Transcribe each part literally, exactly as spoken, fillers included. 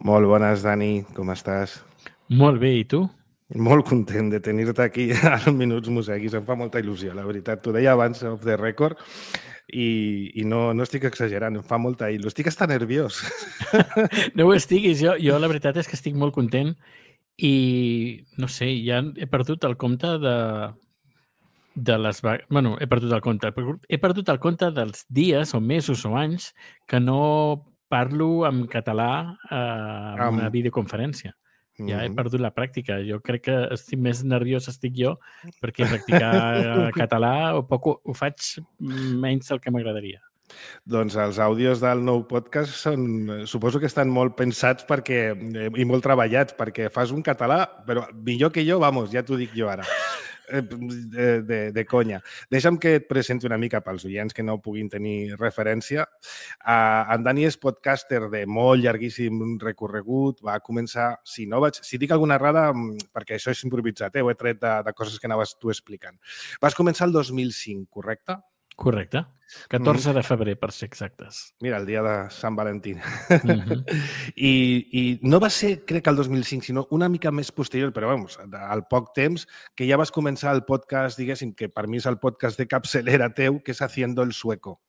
Molt bones, Dani, com estàs? Molt bé, i tu? Molt content de tenir-te aquí als Minuts Museguis, em fa molta il·lusió, la veritat. T'ho deia abans, off the record, i, i no, no estic exagerant, em fa molta il·lusió. Estic hasta nerviós. No ho estiguis, jo, jo la veritat és que estic molt content i, no sé, ja he perdut el compte de, de les... Bueno, he perdut el compte. He perdut el compte dels dies o mesos o anys que no parlo en català eh, en una Am. videoconferència. Ja he Mhm. perdut la pràctica. Jo crec que estic més nerviós estic jo perquè practicar català o poc ho, ho faig menys del que m'agradaria. Doncs els àudios del nou podcast són, suposo que estan molt pensats perquè, i molt treballats perquè fas un català, però millor que jo, vamos, ja t'ho dic jo ara. De, de, de conya. Deixa'm que et presenti una mica pels oients que no puguin tenir referència. Uh, en Dani és podcaster de molt llarguíssim recorregut. Va començar, si no vaig, si dic alguna errada, perquè això és improvisat, eh? Ho he tret de, de coses que anaves tu explicant. Vas començar el dos mil cinc, correcte? Correcte. catorze de febrer, per ser exactes. Mira, el dia de Sant Valentí. Mm-hmm. I, I no va ser, crec que el dos mil cinc, sinó una mica més posterior, però vamos, al poc temps, que ja vas començar el podcast, diguéssim, que per mi és el podcast de capçalera teu, que és Haciendo el Sueco.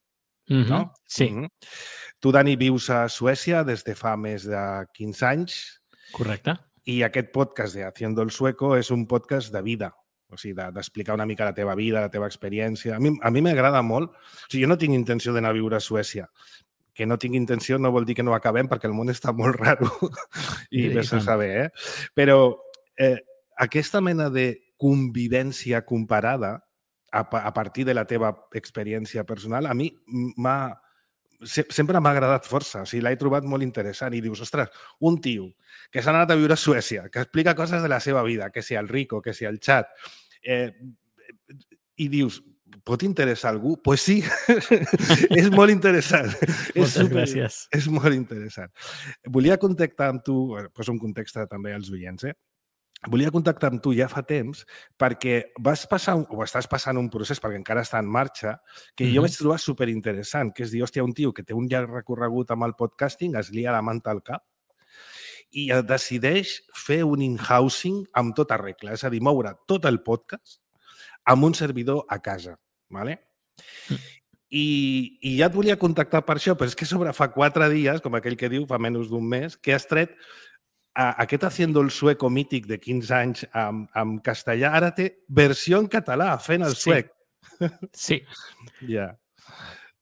Mm-hmm. No? Sí. Mm-hmm. Tu, Dani, vius a Suècia des de fa més de quinze anys. Correcte. I aquest podcast de Haciendo el Sueco és un podcast de vida. O sigui, d'explicar una mica la teva vida, la teva experiència. A mi a mi m'agrada molt. O sigui, jo no tinc intenció d'anar a viure a Suècia. Que no tinc intenció no vol dir que no acabem, perquè el món està molt raro i vés a saber, eh? Però eh, aquesta mena de convivència comparada a, a partir de la teva experiència personal, a mi m'ha sempre m'ha agradat força, o sigui, l'he trobat molt interessant i dius, ostres, un tio que s'ha anat a viure a Suècia, que explica coses de la seva vida, que sia el Rico, que sia el Chat, eh, i dius, pot interessar algú? Doncs pues sí, és molt interessant. Moltes és super, gràcies. És molt interessant. Volia contactar amb tu, poso un context també als oients, eh? Volia contactar amb tu ja fa temps perquè vas passar, o estàs passant un procés, perquè encara està en marxa, que mm-hmm. jo vaig trobar superinteressant, que és dir, hòstia, un tio que té un llarg recorregut amb el podcasting es lia la manta al cap i decideix fer un in-housing amb tota regla, és a dir, moure tot el podcast amb un servidor a casa, ¿vale? Mm. I, i ja et volia contactar per això, però és que sobre fa quatre dies, com aquell que diu, fa menys d'un mes, que has tret aquest Haciendo el Sueco mític de quinze anys amb, amb castellà, ara té versió en català, fent el sí. suec. Sí. Ja. Yeah.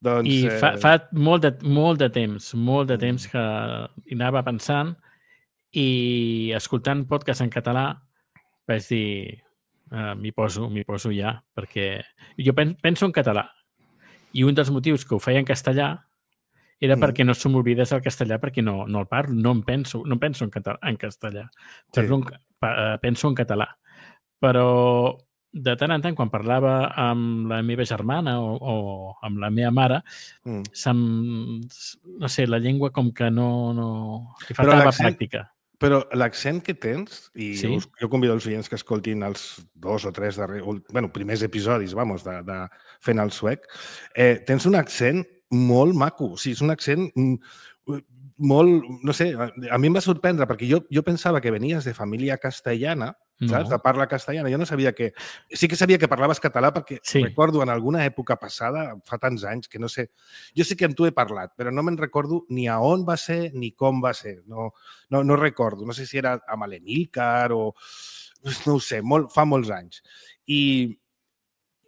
Doncs, I fa, eh... fa molt, de, molt de temps, molt de temps que hi anava pensant i escoltant podcast en català vaig dir, uh, m'hi poso, m'hi poso ja, perquè jo pen, penso en català i un dels motius que ho feia en castellà era mm. perquè no se m'oblidés el castellà, perquè no, no el parlo, no em penso, no penso en, català, en castellà, sí. Parlo en, penso en català. Però de tant en tant, quan parlava amb la meva germana o, o amb la meva mare, mm. se'm, no sé, la llengua com que no... no li faltava pràctica. Però l'accent que tens, i sí? jo, jo convido els oients que escoltin els dos o tres darrers, bueno, primers episodis, vamos, de, de fent el suec, eh, tens un accent molt maco, o sigui, és un accent molt, no sé, a mi em va sorprendre, perquè jo, jo pensava que venies de família castellana, no. Saps? De parla castellana. Jo no sabia que... Sí que sabia que parlaves català perquè sí. Recordo en alguna època passada, fa tants anys, que no sé... Jo sé que amb tu he parlat, però no me'n recordo ni a on va ser ni com va ser. No, no, no recordo. No sé si era amb l'Emílcar o... No ho sé, molt, fa molts anys. I...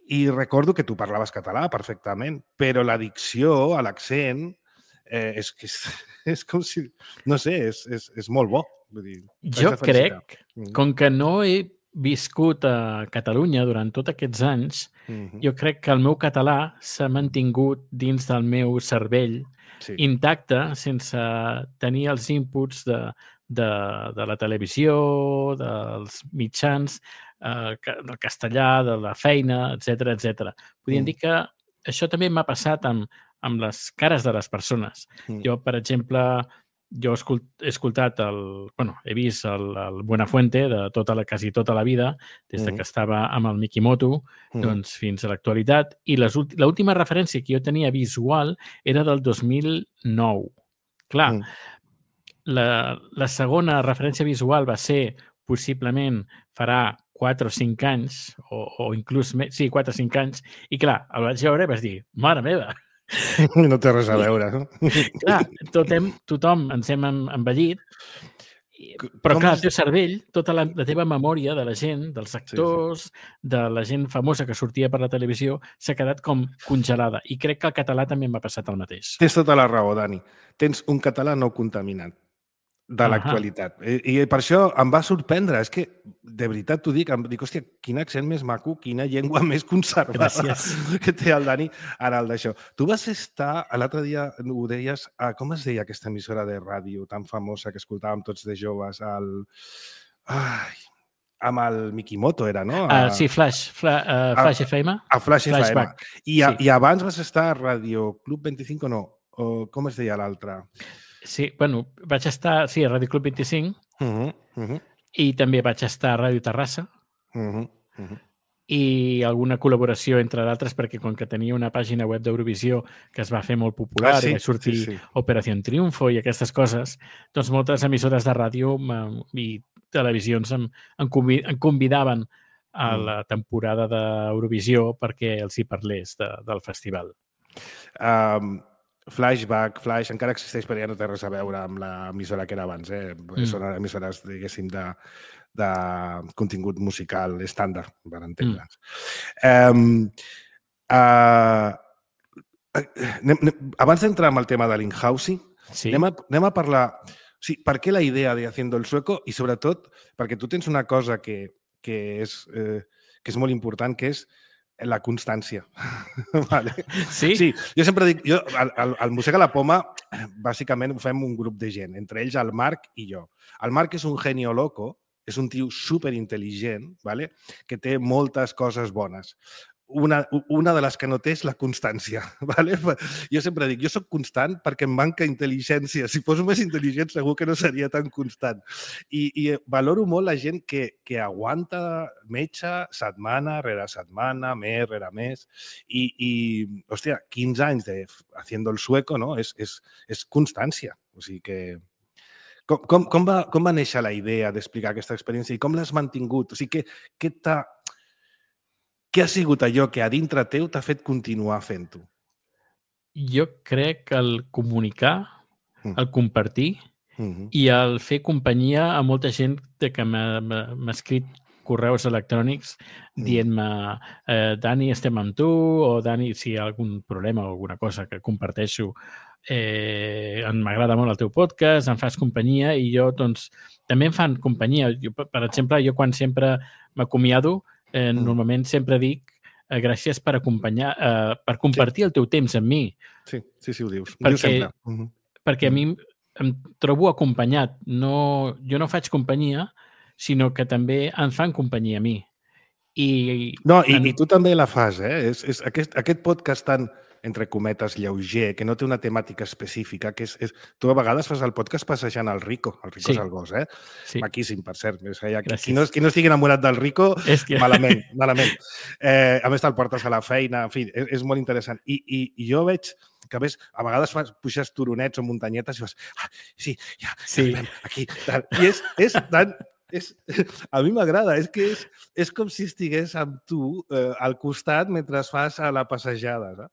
I recordo que tu parlaves català perfectament, però la dicció, l'accent, eh, és que és, és com si... No sé, és, és, és molt bo. Vull dir, jo crec, com que no he viscut a Catalunya durant tots aquests anys, mm-hmm. jo crec que el meu català s'ha mantingut dins del meu cervell sí. Intacte, sense tenir els inputs de, de, de la televisió, dels mitjans, eh, del castellà, de la feina, etcètera, etcètera. Podríem mm. dir que això també m'ha passat amb, amb les cares de les persones. Mm. Jo, per exemple, jo he escoltat, el, bueno, he vist el, el Buenafuente de tota la, quasi tota la vida, des de mm. que estava amb el Mikimoto, mm. doncs fins a l'actualitat, i l'última referència que jo tenia visual era del dos mil nou. Clar, mm. la, la segona referència visual va ser, possiblement, farà quatre o cinc anys, o, o inclús més, sí, quatre o cinc anys, i clar, el vaig veure i vas dir, mare meva! No té res a veure, no? Clar, tot hem, tothom ens hem envellit, però Com clar, es... el teu cervell, tota la, la teva memòria de la gent, dels actors, sí, sí. de la gent famosa que sortia per la televisió, s'ha quedat com congelada. I crec que al català també m'ha passat el mateix. Tens tota la raó, Dani. Tens un català no contaminat de l'actualitat. I, I per això em va sorprendre. És que, de veritat t'ho dic, em dic, hòstia, quin accent més maco, quina llengua més conservada Gràcies. que té el Dani ara el d'això. Tu vas estar, l'altre dia ho deies, a, com es deia aquesta emissora de ràdio tan famosa que escoltàvem tots de joves, al... Ai, amb el Mikimoto era, no? A, uh, sí, Flash, Fla, uh, Flash a, F M. A Flash Flashback. F M. I, a, sí. I abans vas estar a Radio Club vint-i-cinc o no? O com es deia l'altre? Sí, bueno, vaig estar, sí, a Ràdio Club vint-i-cinc uh -huh, uh -huh. i també vaig estar a Ràdio Terrassa uh -huh, uh -huh. i alguna col·laboració, entre d'altres, perquè com que tenia una pàgina web d'Eurovisió que es va fer molt popular, ah, sí? i va sortir sí, sí. Operació Triunfo i aquestes coses, doncs moltes emissores de ràdio i televisions em, em, convid, em convidaven a la temporada d'Eurovisió perquè els hi parlés de, del festival. Um... Flashback, Flash, encara existeix, però ja no té res a veure amb l'emissora que era abans. Eh? Mm. Són emissores, diguéssim, de, de contingut musical estàndard, per entendre'ns. Mm. Um, uh, anem, anem, abans d'entrar en el tema de l'in-housing, sí. anem, a, anem a parlar... O sigui, per què la idea de Haciendo el Sueco? I sobretot, perquè tu tens una cosa que, que, és, eh, que és molt important, que és la constància. Vale. Sí? Sí, jo sempre dic, jo, al, al, al Museu de la Poma, bàsicament ho fem un grup de gent, entre ells el Marc i jo. El Marc és un genio loco, és un tio superintel·ligent, vale? Que té moltes coses bones. Una, una de les que no té és la constància. Vale? Jo sempre dic, jo sóc constant perquè em manca intel·ligència. Si fos més intel·ligent segur que no seria tan constant. I, i valoro molt la gent que, que aguanta metge setmana rere setmana, mes rere mes. I, i hòstia, quinze anys de Haciendo el Sueco, no? És, és, és constància. O sigui que... Com, com, com, va, com va néixer la idea d'explicar aquesta experiència i com l'has mantingut? O sigui, què, què t'ha... Què ha sigut allò que a dintre teu t'ha fet continuar fent-ho? Jo crec que el comunicar, el compartir uh-huh. i el fer companyia a molta gent que m'ha escrit correus electrònics dient-me eh, Dani, estem amb tu, o Dani, si hi ha algun problema o alguna cosa que comparteixo, eh, m'agrada molt el teu podcast, em fas companyia i jo, doncs, també em fan companyia. Jo, per exemple, jo quan sempre m'acomiado, Eh, mm. normalment sempre dic eh, gràcies per acompanyar, eh, per compartir sí. el teu temps amb mi. Sí, sí, sí ho dius. Perquè, ho dius sempre. Uh-huh. perquè uh-huh. a mi em trobo acompanyat. No, jo no faig companyia, sinó que també em fan companyia a mi. I, no, i, en... i tu també la fas, eh? És, és aquest, aquest podcast tan, entre cometes, lleuger, que no té una temàtica específica, que és, és... Tu a vegades fas el podcast passejant el Rico. El Rico sí. és el gos, eh? Sí. Maquíssim, per cert. Qui no, qui no estigui enamorat del Rico, que... malament, malament. Eh, a més, te'l portes a la feina, en fi, és, és molt interessant. I, i, i jo veig que, a més, a vegades fas, puixes turonets o muntanyetes i vas, ah, sí, ja, sí. ja aquí. Tal. I és, és tan... És, a mi m'agrada, és que és, és com si estigués amb tu eh, al costat mentre fas a la passejada. No?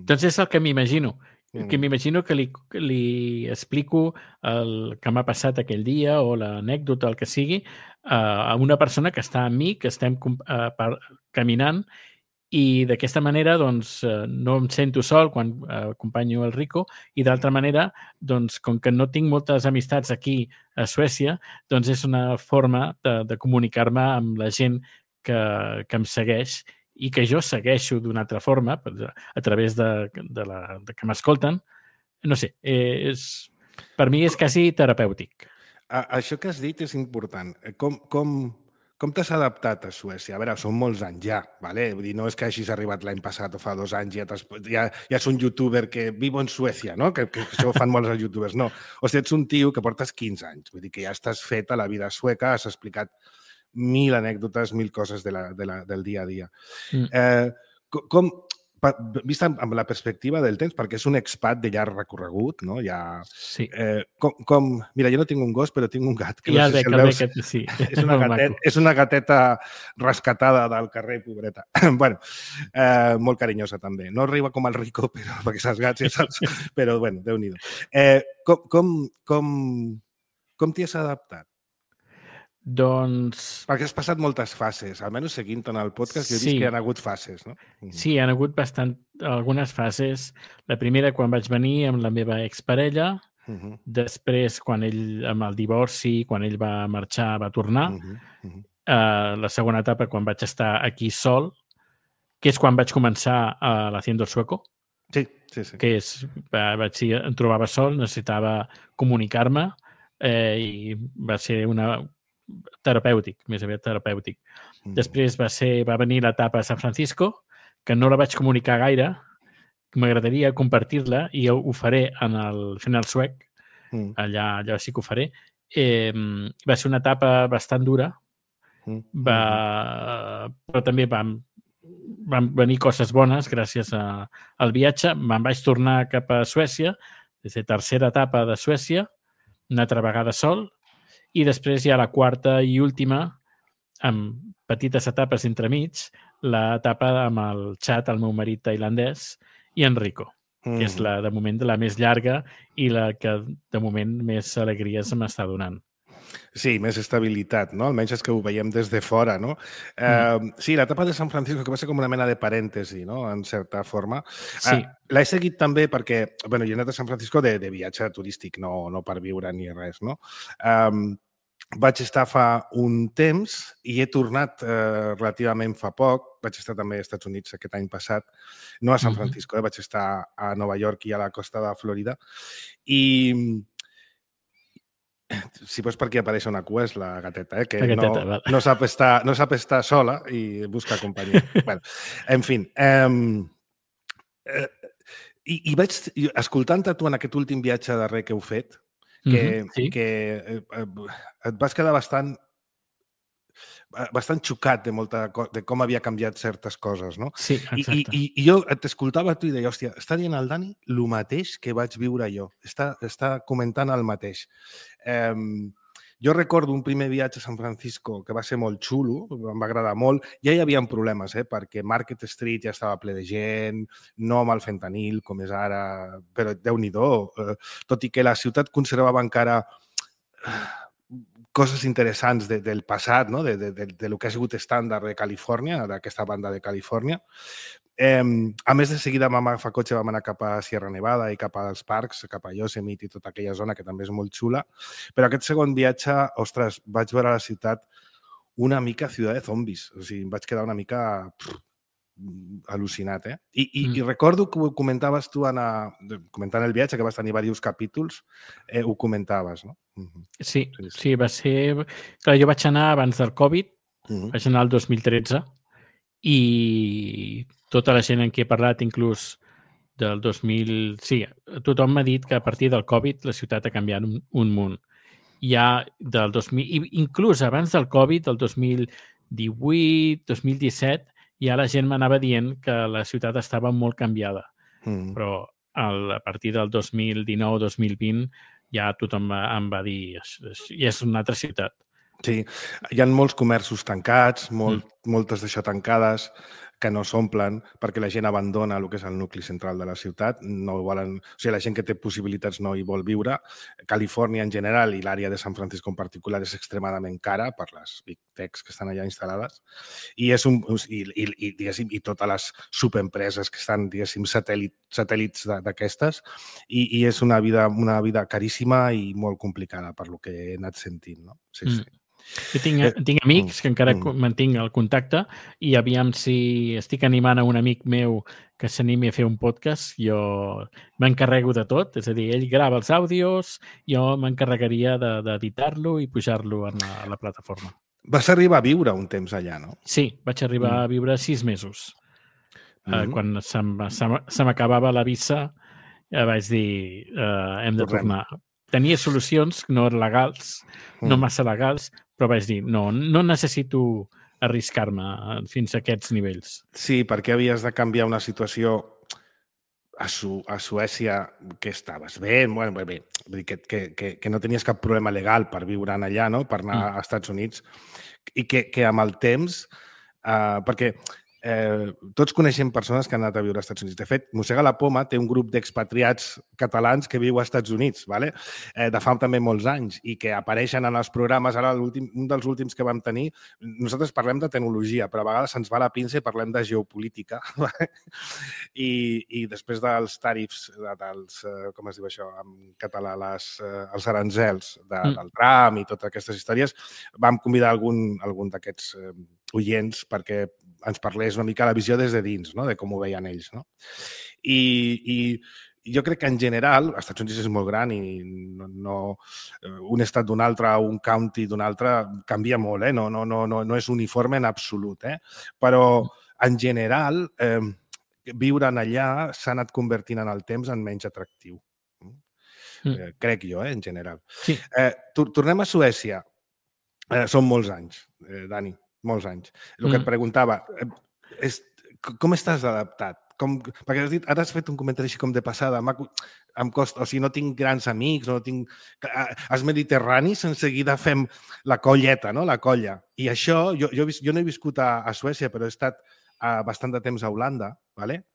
Doncs és el que m'imagino. Mm. Que m'imagino que li, li explico el que m'ha passat aquell dia o l'anècdota, el que sigui, eh, a una persona que està amb mi, que estem eh, per, caminant, i d'aquesta manera doncs, no em sento sol quan eh, acompanyo el Rico i d'altra manera, doncs, com que no tinc moltes amistats aquí a Suècia, doncs és una forma de, de comunicar-me amb la gent que, que em segueix i que jo segueixo d'una altra forma a través de, de, la, de que m'escolten. No sé, eh, és, per mi és quasi terapèutic. A, això que has dit és important. Com... com... Com t'has adaptat a Suècia? A veure, són molts anys ja, ¿vale? Vull dir, no és que hagis arribat l'any passat o fa dos anys i ja, ja, ja és un youtuber que vivo en Suècia, no? Que, que això ho fan molts els youtubers. No, o sigui, ets un tio que portes quinze anys. Vull dir que ja estàs fet a la vida sueca, has explicat mil anècdotes, mil coses de la, de la, del dia a dia. Mm. Eh, com, vist amb la perspectiva del temps, perquè és un expat de llarg recorregut, no? Ja, sí. Eh, com, com... Mira, jo no tinc un gos, però tinc un gat. Que ja no sé veig, si el veus. Que, sí. és, una gatet, és una gateta rescatada del carrer, pobreta. bueno, eh, molt carinyosa també. No arriba com el Rico, però, perquè saps gats, ja saps. Però, bueno, Déu-n'hi-do. Eh, com com, com, com t'hi has adaptat? Doncs... Perquè has passat moltes fases, almenys seguint en el podcast, jo he vist sí. que hi ha hagut fases, no? Sí, hi ha hagut bastant, algunes fases. La primera, quan vaig venir amb la meva exparella, uh -huh. després, quan ell, amb el divorci, quan ell va marxar, va tornar. Uh -huh. Uh -huh. Uh, la segona etapa, quan vaig estar aquí sol, que és quan vaig començar a l'Haciendo el Sueco. Sí, sí, sí. Que és, vaig dir, em trobava sol, necessitava comunicar-me eh, i va ser una... terapèutic, més aviat terapèutic. Mm. Després va ser va venir l'etapa a San Francisco, que no la vaig comunicar gaire, m'agradaria compartir-la i ho faré en el Fent el Suec, mm. allà, allà sí que ho faré. Eh, va ser una etapa bastant dura, mm. va, però també vam, van venir coses bones gràcies a, al viatge. Me'n vaig tornar cap a Suècia, des de tercera etapa de Suècia, una altra vegada sol, i després hi ha la quarta i última, amb petites etapes entremig, l'etapa amb el Chad, el meu marit tailandès, i Enrico, mm. que és la, de moment, la més llarga i la que, de moment, més alegries m'està donant. Sí, més estabilitat, no? Almenys és que ho veiem des de fora, no? Mm. Eh, sí, l'etapa de San Francisco, que va ser com una mena de parèntesi, no?, en certa forma. Sí. Eh, l'he seguit també perquè, bueno, jo he anat a San Francisco de, de viatge turístic, no, no per viure ni res, no? Eh, vaig estar fa un temps i he tornat eh, relativament fa poc. Vaig estar també als Estats Units aquest any passat, no a San Francisco, eh? Vaig estar a Nova York i a la costa de Florida. I si vols per aquí apareix una cua és la gateta, eh? Que la gateta, no, no, sap estar, no sap estar sola i busca companyia. bueno, en fi, eh, eh, i, i vaig, escoltant-te tu en aquest últim viatge darrer que heu fet, que, mm-hmm, sí. que eh, et vas quedar bastant bastant xocat de, molta, de com havia canviat certes coses, no? Sí, exacte. I, i, i jo t'escoltava a tu i deia, hòstia, està dient el Dani el mateix que vaig viure jo. Està, està comentant el mateix. Eh, jo recordo un primer viatge a San Francisco que va ser molt xulo, em va agradar molt. Ja hi havia problemes, eh? Perquè Market Street ja estava ple de gent, no amb el fentanil, com és ara, però Déu-n'hi-do. Eh, tot i que la ciutat conservava encara coses interessants de, del passat, no? de, de, de, de lo que ha sigut estàndard de Califòrnia, d'aquesta banda de Califòrnia. Eh, a més, de seguida vam agafar cotxe, vam anar cap a Sierra Nevada i cap als parcs, cap a Yosemite i tota aquella zona, que també és molt xula. Però aquest segon viatge, ostres, vaig veure la ciutat una mica ciutat de zombis. O sigui, em vaig quedar una mica pff, al·lucinat, eh? I, i, mm. i recordo que ho comentaves tu, Anna, comentant el viatge, que vas tenir diversos capítols, eh, ho comentaves, no? Mm-hmm. Sí, sí, sí, va ser... Clar, jo vaig anar abans del Covid, mm-hmm. vaig anar el dos mil tretze, i tota la gent en qui he parlat, inclús del dos mil... Sí, tothom m'ha dit que a partir del Covid la ciutat ha canviat un, un munt. Ja del dos mil... Inclús abans del Covid, del dos mil divuit, dos mil disset, ja la gent m'anava dient que la ciutat estava molt canviada. Mm. Però a partir del dos mil dinou dos mil vint ja tothom em va dir i és una altra ciutat. Sí, hi ha molts comerços tancats, molt, mm. moltes d'això tancades, que no s'omplen perquè la gent abandona el que és el nucli central de la ciutat. No volen... O sigui, la gent que té possibilitats no hi vol viure. Califòrnia en general i l'àrea de San Francisco en particular és extremadament cara per les big techs que estan allà instal·lades. I, és un, i, i, i, i totes les subempreses que estan, diguéssim, satèl·lit, satèl·lits d'aquestes. I, I és una vida, una vida caríssima i molt complicada per lo que he anat sentint, no? Sí, mm. sí. Jo tinc, tinc amics que encara mm. mantinc el contacte i aviam si estic animant a un amic meu que s'animi a fer un podcast. Jo m'encarrego de tot, és a dir, ell grava els àudios, jo m'encarregaria d'editar-lo i pujar-lo a la, a la plataforma. Vas arribar a viure un temps allà, no? Sí, vaig arribar mm. a viure sis mesos. Mm. Uh, quan se m'acabava la visa uh, vaig dir uh, hem de Torrem. tornar. Tenia solucions no legals, no massa legals, però vaig dir, no, no necessito arriscar-me fins a aquests nivells. Sí, perquè havies de canviar una situació a, Su a Suècia que estaves bé, bueno, bé, bé que, que, que, que no tenies cap problema legal per viure allà, no? Per anar mm. als Estats Units, i que, que amb el temps, eh, perquè eh, tots coneixem persones que han anat a viure als Estats Units. De fet, Mossega la Poma té un grup d'expatriats catalans que viu als Estats Units, ¿vale? eh, de fa també molts anys, i que apareixen en els programes. Ara, un dels últims que vam tenir, nosaltres parlem de tecnologia, però a vegades se'ns va la pinça i parlem de geopolítica. I, i després dels tarifs, dels, com es diu això en català, les, els aranzels de, mm. del tram i totes aquestes històries, vam convidar algun, algun d'aquests eh, oients perquè ens parlés una mica la visió des de dins, no? De com ho veien ells. No? I, I jo crec que en general, als Estats Units és molt gran i no, no, un estat d'un altre, un county d'un altre, canvia molt, eh? no, no, no, no, no és uniforme en absolut. Eh? Però en general, eh, viure allà s'ha anat convertint en el temps en menys atractiu. Mm. Eh, crec jo, eh, en general. Sí. Eh, tornem a Suècia. Eh, són molts anys, eh, Dani. Molts anys. El que mm. et preguntava, és, com estàs adaptat? Com, perquè has dit, ara has fet un comentari així com de passada, em costa, o sigui, no tinc grans amics, no tinc... Els mediterranis en seguida fem la colleta, no? La colla. I això, jo, jo, jo no he viscut a, a Suècia, però he estat a, bastant de temps a Holanda, ¿vale?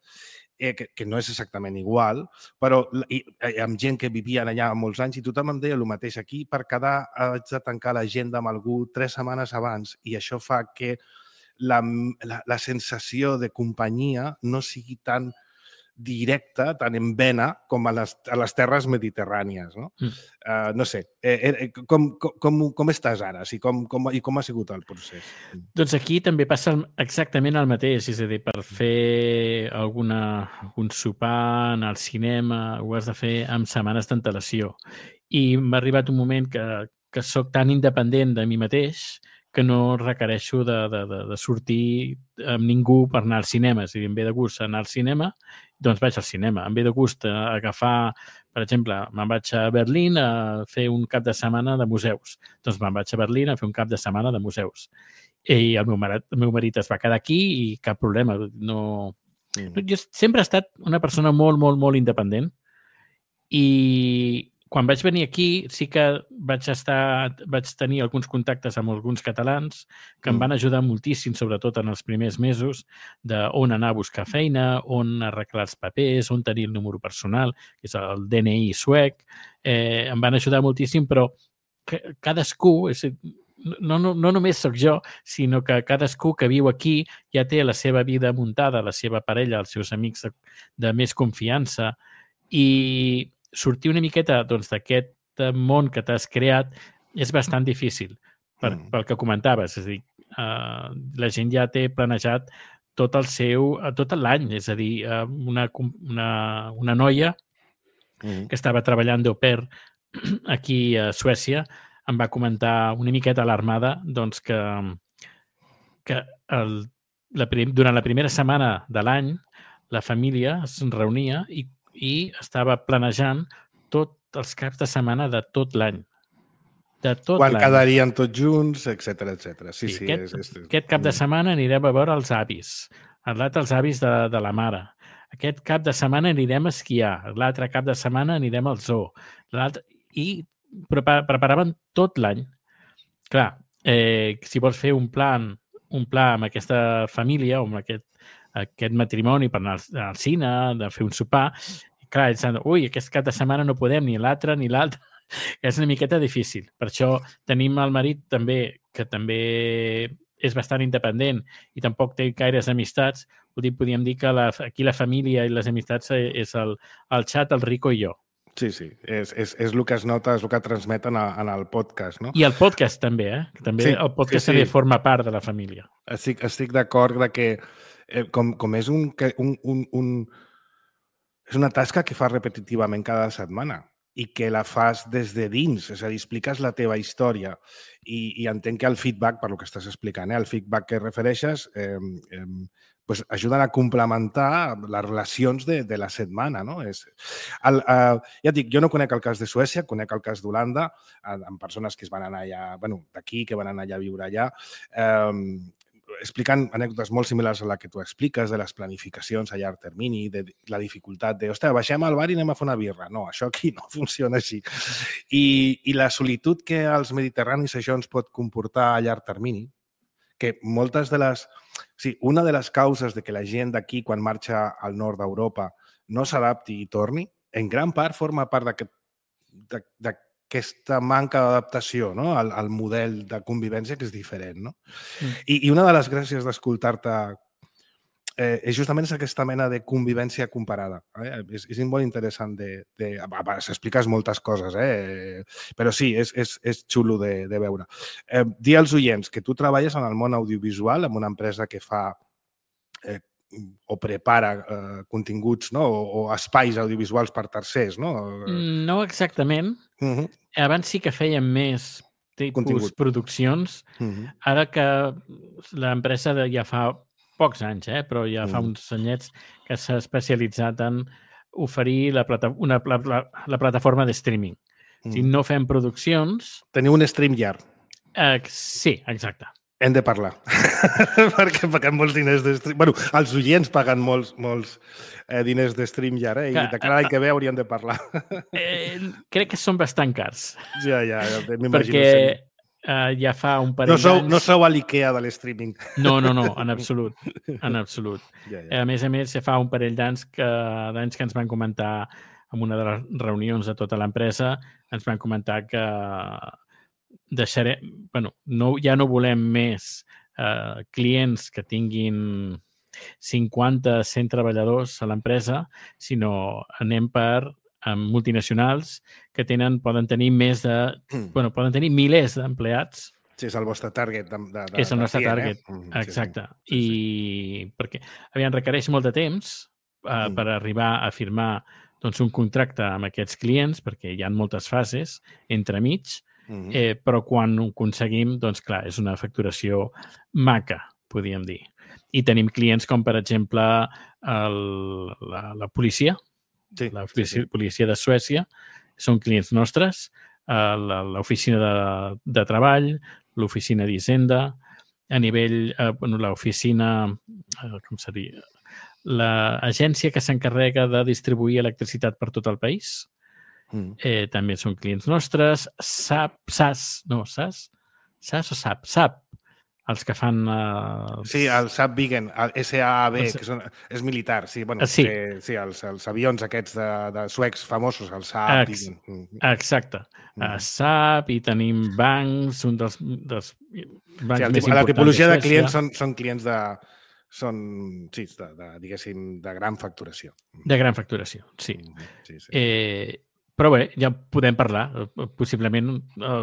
Eh, que, que no és exactament igual, però i, i, amb gent que vivien allà molts anys i tothom em deia el mateix. Aquí, per quedar, haig de tancar l'agenda amb algú tres setmanes abans i això fa que la, la, la sensació de companyia no sigui tan directa, tan en vena com a les, a les terres mediterrànies. No, mm. uh, no sé, eh, eh, com, com, com estàs ara? Sí, com, com, I com ha sigut el procés? Doncs aquí també passa exactament el mateix, és a dir, per fer alguna, algun sopar, anar al cinema, ho has de fer amb setmanes d'antelació. I m'ha arribat un moment que, que sóc tan independent de mi mateix que no requereixo de, de, de, de sortir amb ningú per anar al cinema. És a dir, em ve de gust anar al cinema, doncs vaig al cinema. Em ve de gust agafar, per exemple, me'n vaig a Berlín a fer un cap de setmana de museus. Doncs me'n vaig a Berlín a fer un cap de setmana de museus. I el meu marit, el meu marit es va quedar aquí i cap problema. No... Mm. Jo sempre he estat una persona molt, molt, molt independent i quan vaig venir aquí sí que vaig estar, vaig tenir alguns contactes amb alguns catalans que mm. em van ajudar moltíssim, sobretot en els primers mesos, d'on anar a buscar feina, on arreglar els papers, on tenir el número personal, que és el D N I suec. Eh, em van ajudar moltíssim, però cadascú, és, no, no, no només sóc jo, sinó que cadascú que viu aquí ja té la seva vida muntada, la seva parella, els seus amics de, de més confiança, i sortir una miqueta doncs, d'aquest món que t'has creat és bastant difícil, per, mm. pel que comentaves. És a dir, uh, la gent ja té planejat tot el seu, tot l'any. És a dir, uh, una, una, una noia mm. que estava treballant d'au pair aquí a Suècia em va comentar una miqueta alarmada doncs, que, que el, la, durant la primera setmana de l'any la família es reunia i i estava planejant tots els caps de setmana de tot l'any. De tot Quan quedarien tots junts, etcètera, etcètera. Sí, sí. Aquest, és, és... aquest cap de setmana anirem a veure els avis, l'altre els avis de, de la mare. Aquest cap de setmana anirem a esquiar, l'altre cap de setmana anirem al zoo. I preparaven tot l'any. Clar, eh, si vols fer un plan, un pla amb aquesta família o amb aquest aquest matrimoni per anar al cine, de fer un sopar, i clar, ells han, ui, aquest cap de setmana no podem, ni l'altre ni l'altre. És una miqueta difícil. Per això tenim el marit també, que també és bastant independent i tampoc té gaires amistats. Podríem dir que la, aquí la família i les amistats és el, el xat, el Rico i jo. Sí, sí, és, és, és el que es nota, és el que transmeten a, en el podcast, no? I el podcast també, eh? Que també sí, el podcast sí, sí. també forma part de la família. Estic, estic d'acord de que eh, com, com és un, un, un, un... és una tasca que fas repetitivament cada setmana i que la fas des de dins, és a dir, expliques la teva història i, i entenc que el feedback, per lo que estàs explicant, eh, el feedback que refereixes, eh, eh, pues ajuden a complementar les relacions de, de la setmana, no? És, el, eh, ja et dic, jo no conec el cas de Suècia, conec el cas d'Holanda, amb persones que es van anar allà, bueno, d'aquí, que van anar allà a viure allà. Eh, explicant anècdotes molt similars a la que tu expliques, de les planificacions a llarg termini, de la dificultat de, ostres, baixem al bar i anem a fer una birra. No, això aquí no funciona així. I, i la solitud que als mediterranis això ens pot comportar a llarg termini, que moltes de les... Sí, una de les causes de que la gent d'aquí, quan marxa al nord d'Europa, no s'adapti i torni, en gran part forma part d'aquest aquesta manca d'adaptació, no? al, al model de convivència que és diferent. No? Mm. I, I una de les gràcies d'escoltar-te eh, és justament aquesta mena de convivència comparada. Eh? És, és molt interessant de... de s'expliques moltes coses, eh? Però sí, és, és, és xulo de, de veure. Eh, dir als oients que tu treballes en el món audiovisual, en una empresa que fa eh, o prepara eh, continguts, no? o, o espais audiovisuals per tercers, no? No exactament. Uh-huh. Abans sí que fèiem més tipus contingut. Produccions. Uh-huh. Ara que l'empresa ja fa pocs anys, eh? Però ja uh-huh. fa uns anyets que s'ha especialitzat en oferir la, plata una, la, la, la plataforma de streaming. Uh-huh. Si no fem produccions... Teniu un StreamYard. Uh, sí, exacte. Hem de parlar, perquè paguem molts diners de stream. Bueno, els oients paguen molts, molts eh, diners de StreamYard, eh? I de cara a l'any que ve hauríem de parlar. Eh, crec que són bastant cars. Ja, ja, m'imagino. Perquè eh, ja fa un parell no sou, d'anys... No sou a l'IKEA de l'streaming. No, no, no, en absolut. En absolut. Ja, ja. A més a més, ja fa un parell d'anys que, d'anys que ens van comentar en una de les reunions de tota l'empresa, ens van comentar que deixarem, bueno, no, ja no volem més eh, clients que tinguin cinquanta, cent treballadors a l'empresa, sinó anem per eh, multinacionals que tenen, poden tenir més de... Mm. Bueno, poden tenir milers d'empleats. Sí, és el vostre target. De, de, és el nostre client, target, eh? mm, exacte. Sí, sí. I perquè, aviam, requereix molt de temps eh, mm. per arribar a firmar doncs, un contracte amb aquests clients, perquè hi ha moltes fases entremig, mm-hmm. eh, però quan ho aconseguim, doncs clar, és una facturació maca, podríem dir. I tenim clients com, per exemple, el, la, la policia, sí, la policia, sí, sí. policia de Suècia, són clients nostres, eh, l'oficina de, de treball, l'oficina d'Hisenda, a nivell, eh, bueno, l'oficina, eh, com seria... l'agència que s'encarrega de distribuir electricitat per tot el país. Mm. Eh, també són clients nostres. S A P, S A S, no, S A S? S A S o S A P? S A P, els que fan... Uh, sí, el S A P Viggen, el S A A B, els... que són, és militar, sí, bueno, sí. Que, sí els, els avions aquests de, de suecs famosos, el S A P Ex Viggen. Exacte. Mm. Uh, S A P, i tenim bancs, un dels, dels bancs sí, el, més importants. La tipologia de, de clients són, són clients de... són, sí, de, de, diguéssim, de gran facturació. De gran facturació, sí. sí, sí. Eh, però bé, ja podem parlar. Possiblement eh,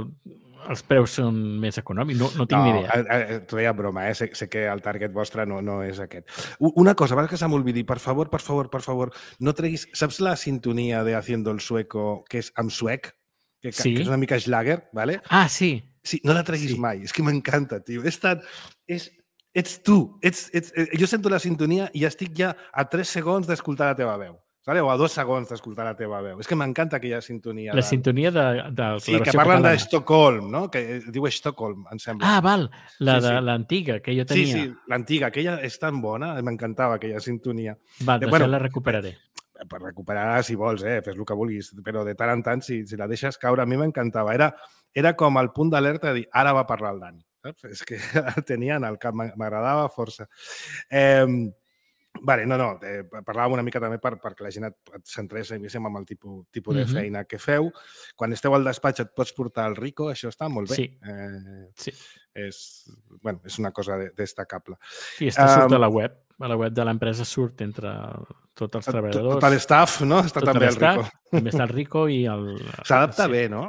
els preus són més econòmics, no, no tinc no, ni idea. T'ho deia broma, eh? sé, sé que el target vostre no, no és aquest. Una cosa, abans que se m'olvidi, per favor, per favor, per favor, no treguis... Saps la sintonia de Haciendo el Sueco, que és amb suec? Que, sí. que és una mica Schlager, ¿vale? Ah, sí. Sí, no la treguis sí. mai, és que m'encanta, tio. És tan... És... Ets tu, ets, ets, jo sento la sintonia i estic ja a tres segons d'escoltar la teva veu. ¿Vale? O a dos segons d'escoltar la teva veu. És que m'encanta aquella sintonia. La de... sintonia de, de sí, que parlen d'Estocolm, no? Que diu Estocolm, em sembla. Ah, val, la sí, de sí. l'antiga, que jo tenia. Sí, sí, l'antiga, aquella és tan bona, m'encantava aquella sintonia. Va, doncs bueno, ja la recuperaré. Per recuperar, si vols, eh? Fes el que vulguis, però de tant en tant, si, si la deixes caure, a mi m'encantava. Era, era com el punt d'alerta de dir, ara va parlar el Dani. Saps? És que el tenia en el cap, m'agradava força. Eh, vale, no, no, eh, parlàvem una mica també per, perquè la gent et, et centrés amb el tipus, tipus de feina que feu. Quan esteu al despatx et pots portar el Rico, això està molt bé. Sí. Eh, sí. És, bueno, és una cosa destacable. Sí, està surt um, a la web. A la web de l'empresa surt entre tots els treballadors. Tot l'staff, no? Està tot també el Rico. També està el Rico i el... S'adapta sí. bé, no?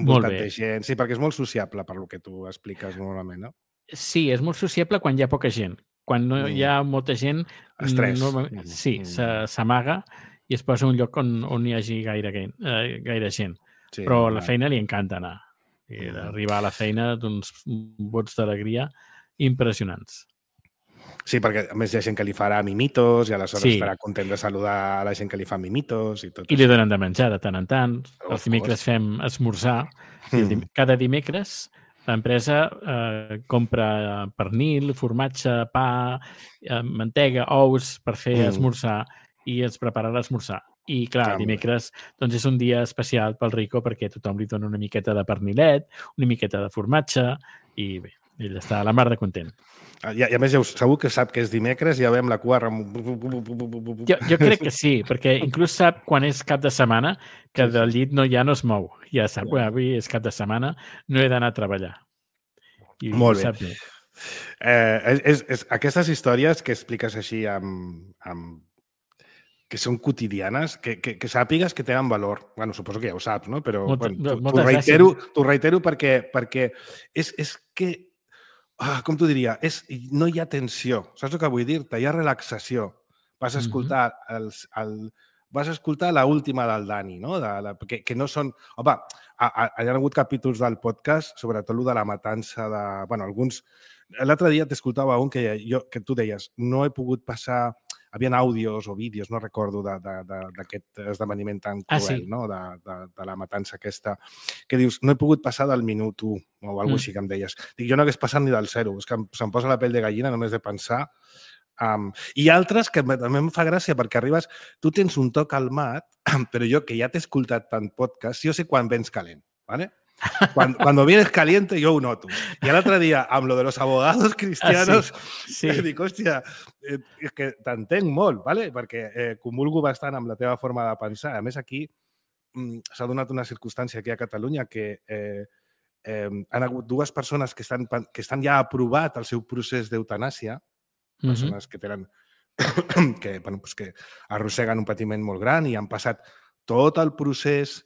Molt bé. Gent. Sí, perquè és molt sociable per lo que tu expliques normalment, no? Sí, és molt sociable quan hi ha poca gent. Quan no hi ha molta gent... Estrès. No, sí, mm. s'amaga i es posa un lloc on, on hi hagi gaire, eh, gaire gent. Sí, però a la feina li encanta anar. I d'arribar a la feina d'uns bots d'alegria impressionants. Sí, perquè a més hi ha gent que li farà mimitos i aleshores sí. estarà content de saludar a la gent que li fa mimitos i tot I això. Li donen de menjar de tant en tant. Els dimecres fem esmorzar. Mm. Cada dimecres L'empresa eh, compra pernil, formatge, pa, eh, mantega, ous per fer mm. esmorzar i ens prepara l'esmorzar. I, clar, ah, dimecres doncs és un dia especial pel Rico perquè tothom li dona una miqueta de pernilet, una miqueta de formatge i bé, ell està a la mar de content. I, I a més, ja segur que sap que és dimecres i ja veiem la cua... Jo, jo crec que sí, perquè inclús sap quan és cap de setmana que sí, del llit no, ja no es mou. Ja sap, bueno, avui és cap de setmana, no he d'anar a treballar. I molt bé. Sap bé. Eh, és, és, aquestes històries que expliques així amb... amb que són quotidianes, que, que, que sàpigues que tenen valor. Bueno, suposo que ja ho saps, no? Però Molta, bueno, t'ho reitero, t'ho reitero perquè, perquè és, és que, ah, com t'ho diria, és, no hi ha tensió. Saps el que vull dir-te? Hi ha relaxació. Vas a escoltar mm-hmm. els, el, vas a escoltar l'última del Dani, no? De, la, que, que no són... Home, ha, ha, hi ha hagut capítols del podcast, sobretot el de la matança de... Bueno, alguns... L'altre dia t'escoltava un que, jo, que tu deies, no he pogut passar... Havien àudios o vídeos, no recordo, d'aquest esdeveniment tan cruel, ah, sí. no? de, de, de la matança aquesta, que dius, no he pogut passar del minut u, o alguna cosa mm. així que em deies. Dic, jo no hagués passat ni del zero, és que se'm posa la pell de gallina només de pensar. Um, I altres que també em fa gràcia, perquè arribes, tu tens un to calmat, però jo, que ja t'he escoltat tant podcast, jo sé quan vens calent, ¿vale? Cuando, cuando vienes caliente, yo ho noto. I l'altre dia, amb lo de los abogados cristianos, ah, sí. Sí. dic, hòstia, eh, és que t'entenc molt, ¿vale? Perquè eh, comulgo bastant amb la teva forma de pensar. A més, aquí mm, s'ha donat una circumstància aquí a Catalunya que eh, eh, han hagut dues persones que estan, que estan ja aprovat el seu procés d'eutanàsia, mm-hmm. persones que tenen que, bueno, pues que arrosseguen un patiment molt gran i han passat tot el procés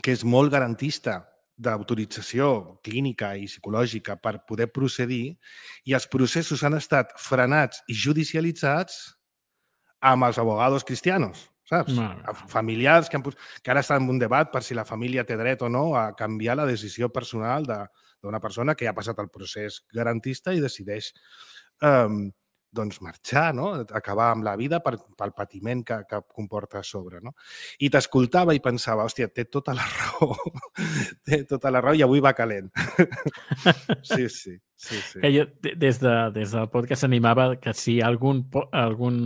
que és molt garantista d'autorització clínica i psicològica per poder procedir, i els processos han estat frenats i judicialitzats amb els abogados cristianos, saps? No. Familiars que, han, que ara estan en un debat per si la família té dret o no a canviar la decisió personal d'una persona que ja ha passat el procés garantista i decideix um, doncs marxar, no? Acabar amb la vida per, pel patiment que, que comporta a sobre. No? I t'escoltava i pensava, hòstia, té tota la raó, té tota la raó i avui va calent. Sí, sí. sí, sí. Que jo, des, de, des del podcast animava que si algun, algun,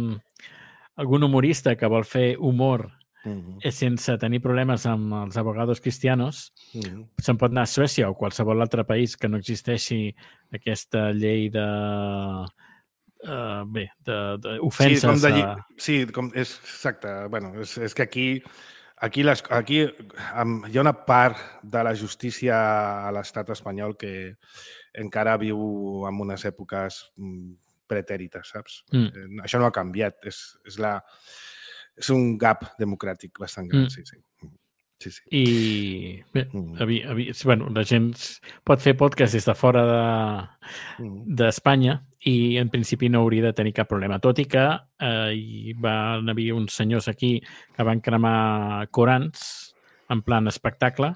algun humorista que vol fer humor uh-huh. sense tenir problemes amb els abogados cristianos, uh-huh. se'n pot anar a Suècia o qualsevol altre país que no existeixi aquesta llei de... Uh, bé, d'ofenses. Sí, com de, a... sí, com és exacte. Bueno, és, és que aquí, aquí, les, aquí um, hi ha una part de la justícia a l'estat espanyol que encara viu en unes èpoques pretèrites, saps? Mm. Això no ha canviat. És, és, la, és un gap democràtic bastant gran, mm. sí, sí. Sí, sí. I bé, mm. havia, havia, bueno, la gent pot fer podcast des de fora d'Espanya de, i en principi no hauria de tenir cap problema. Tot i que eh, hi van haver uns senyors aquí que van cremar Corans en plan espectacle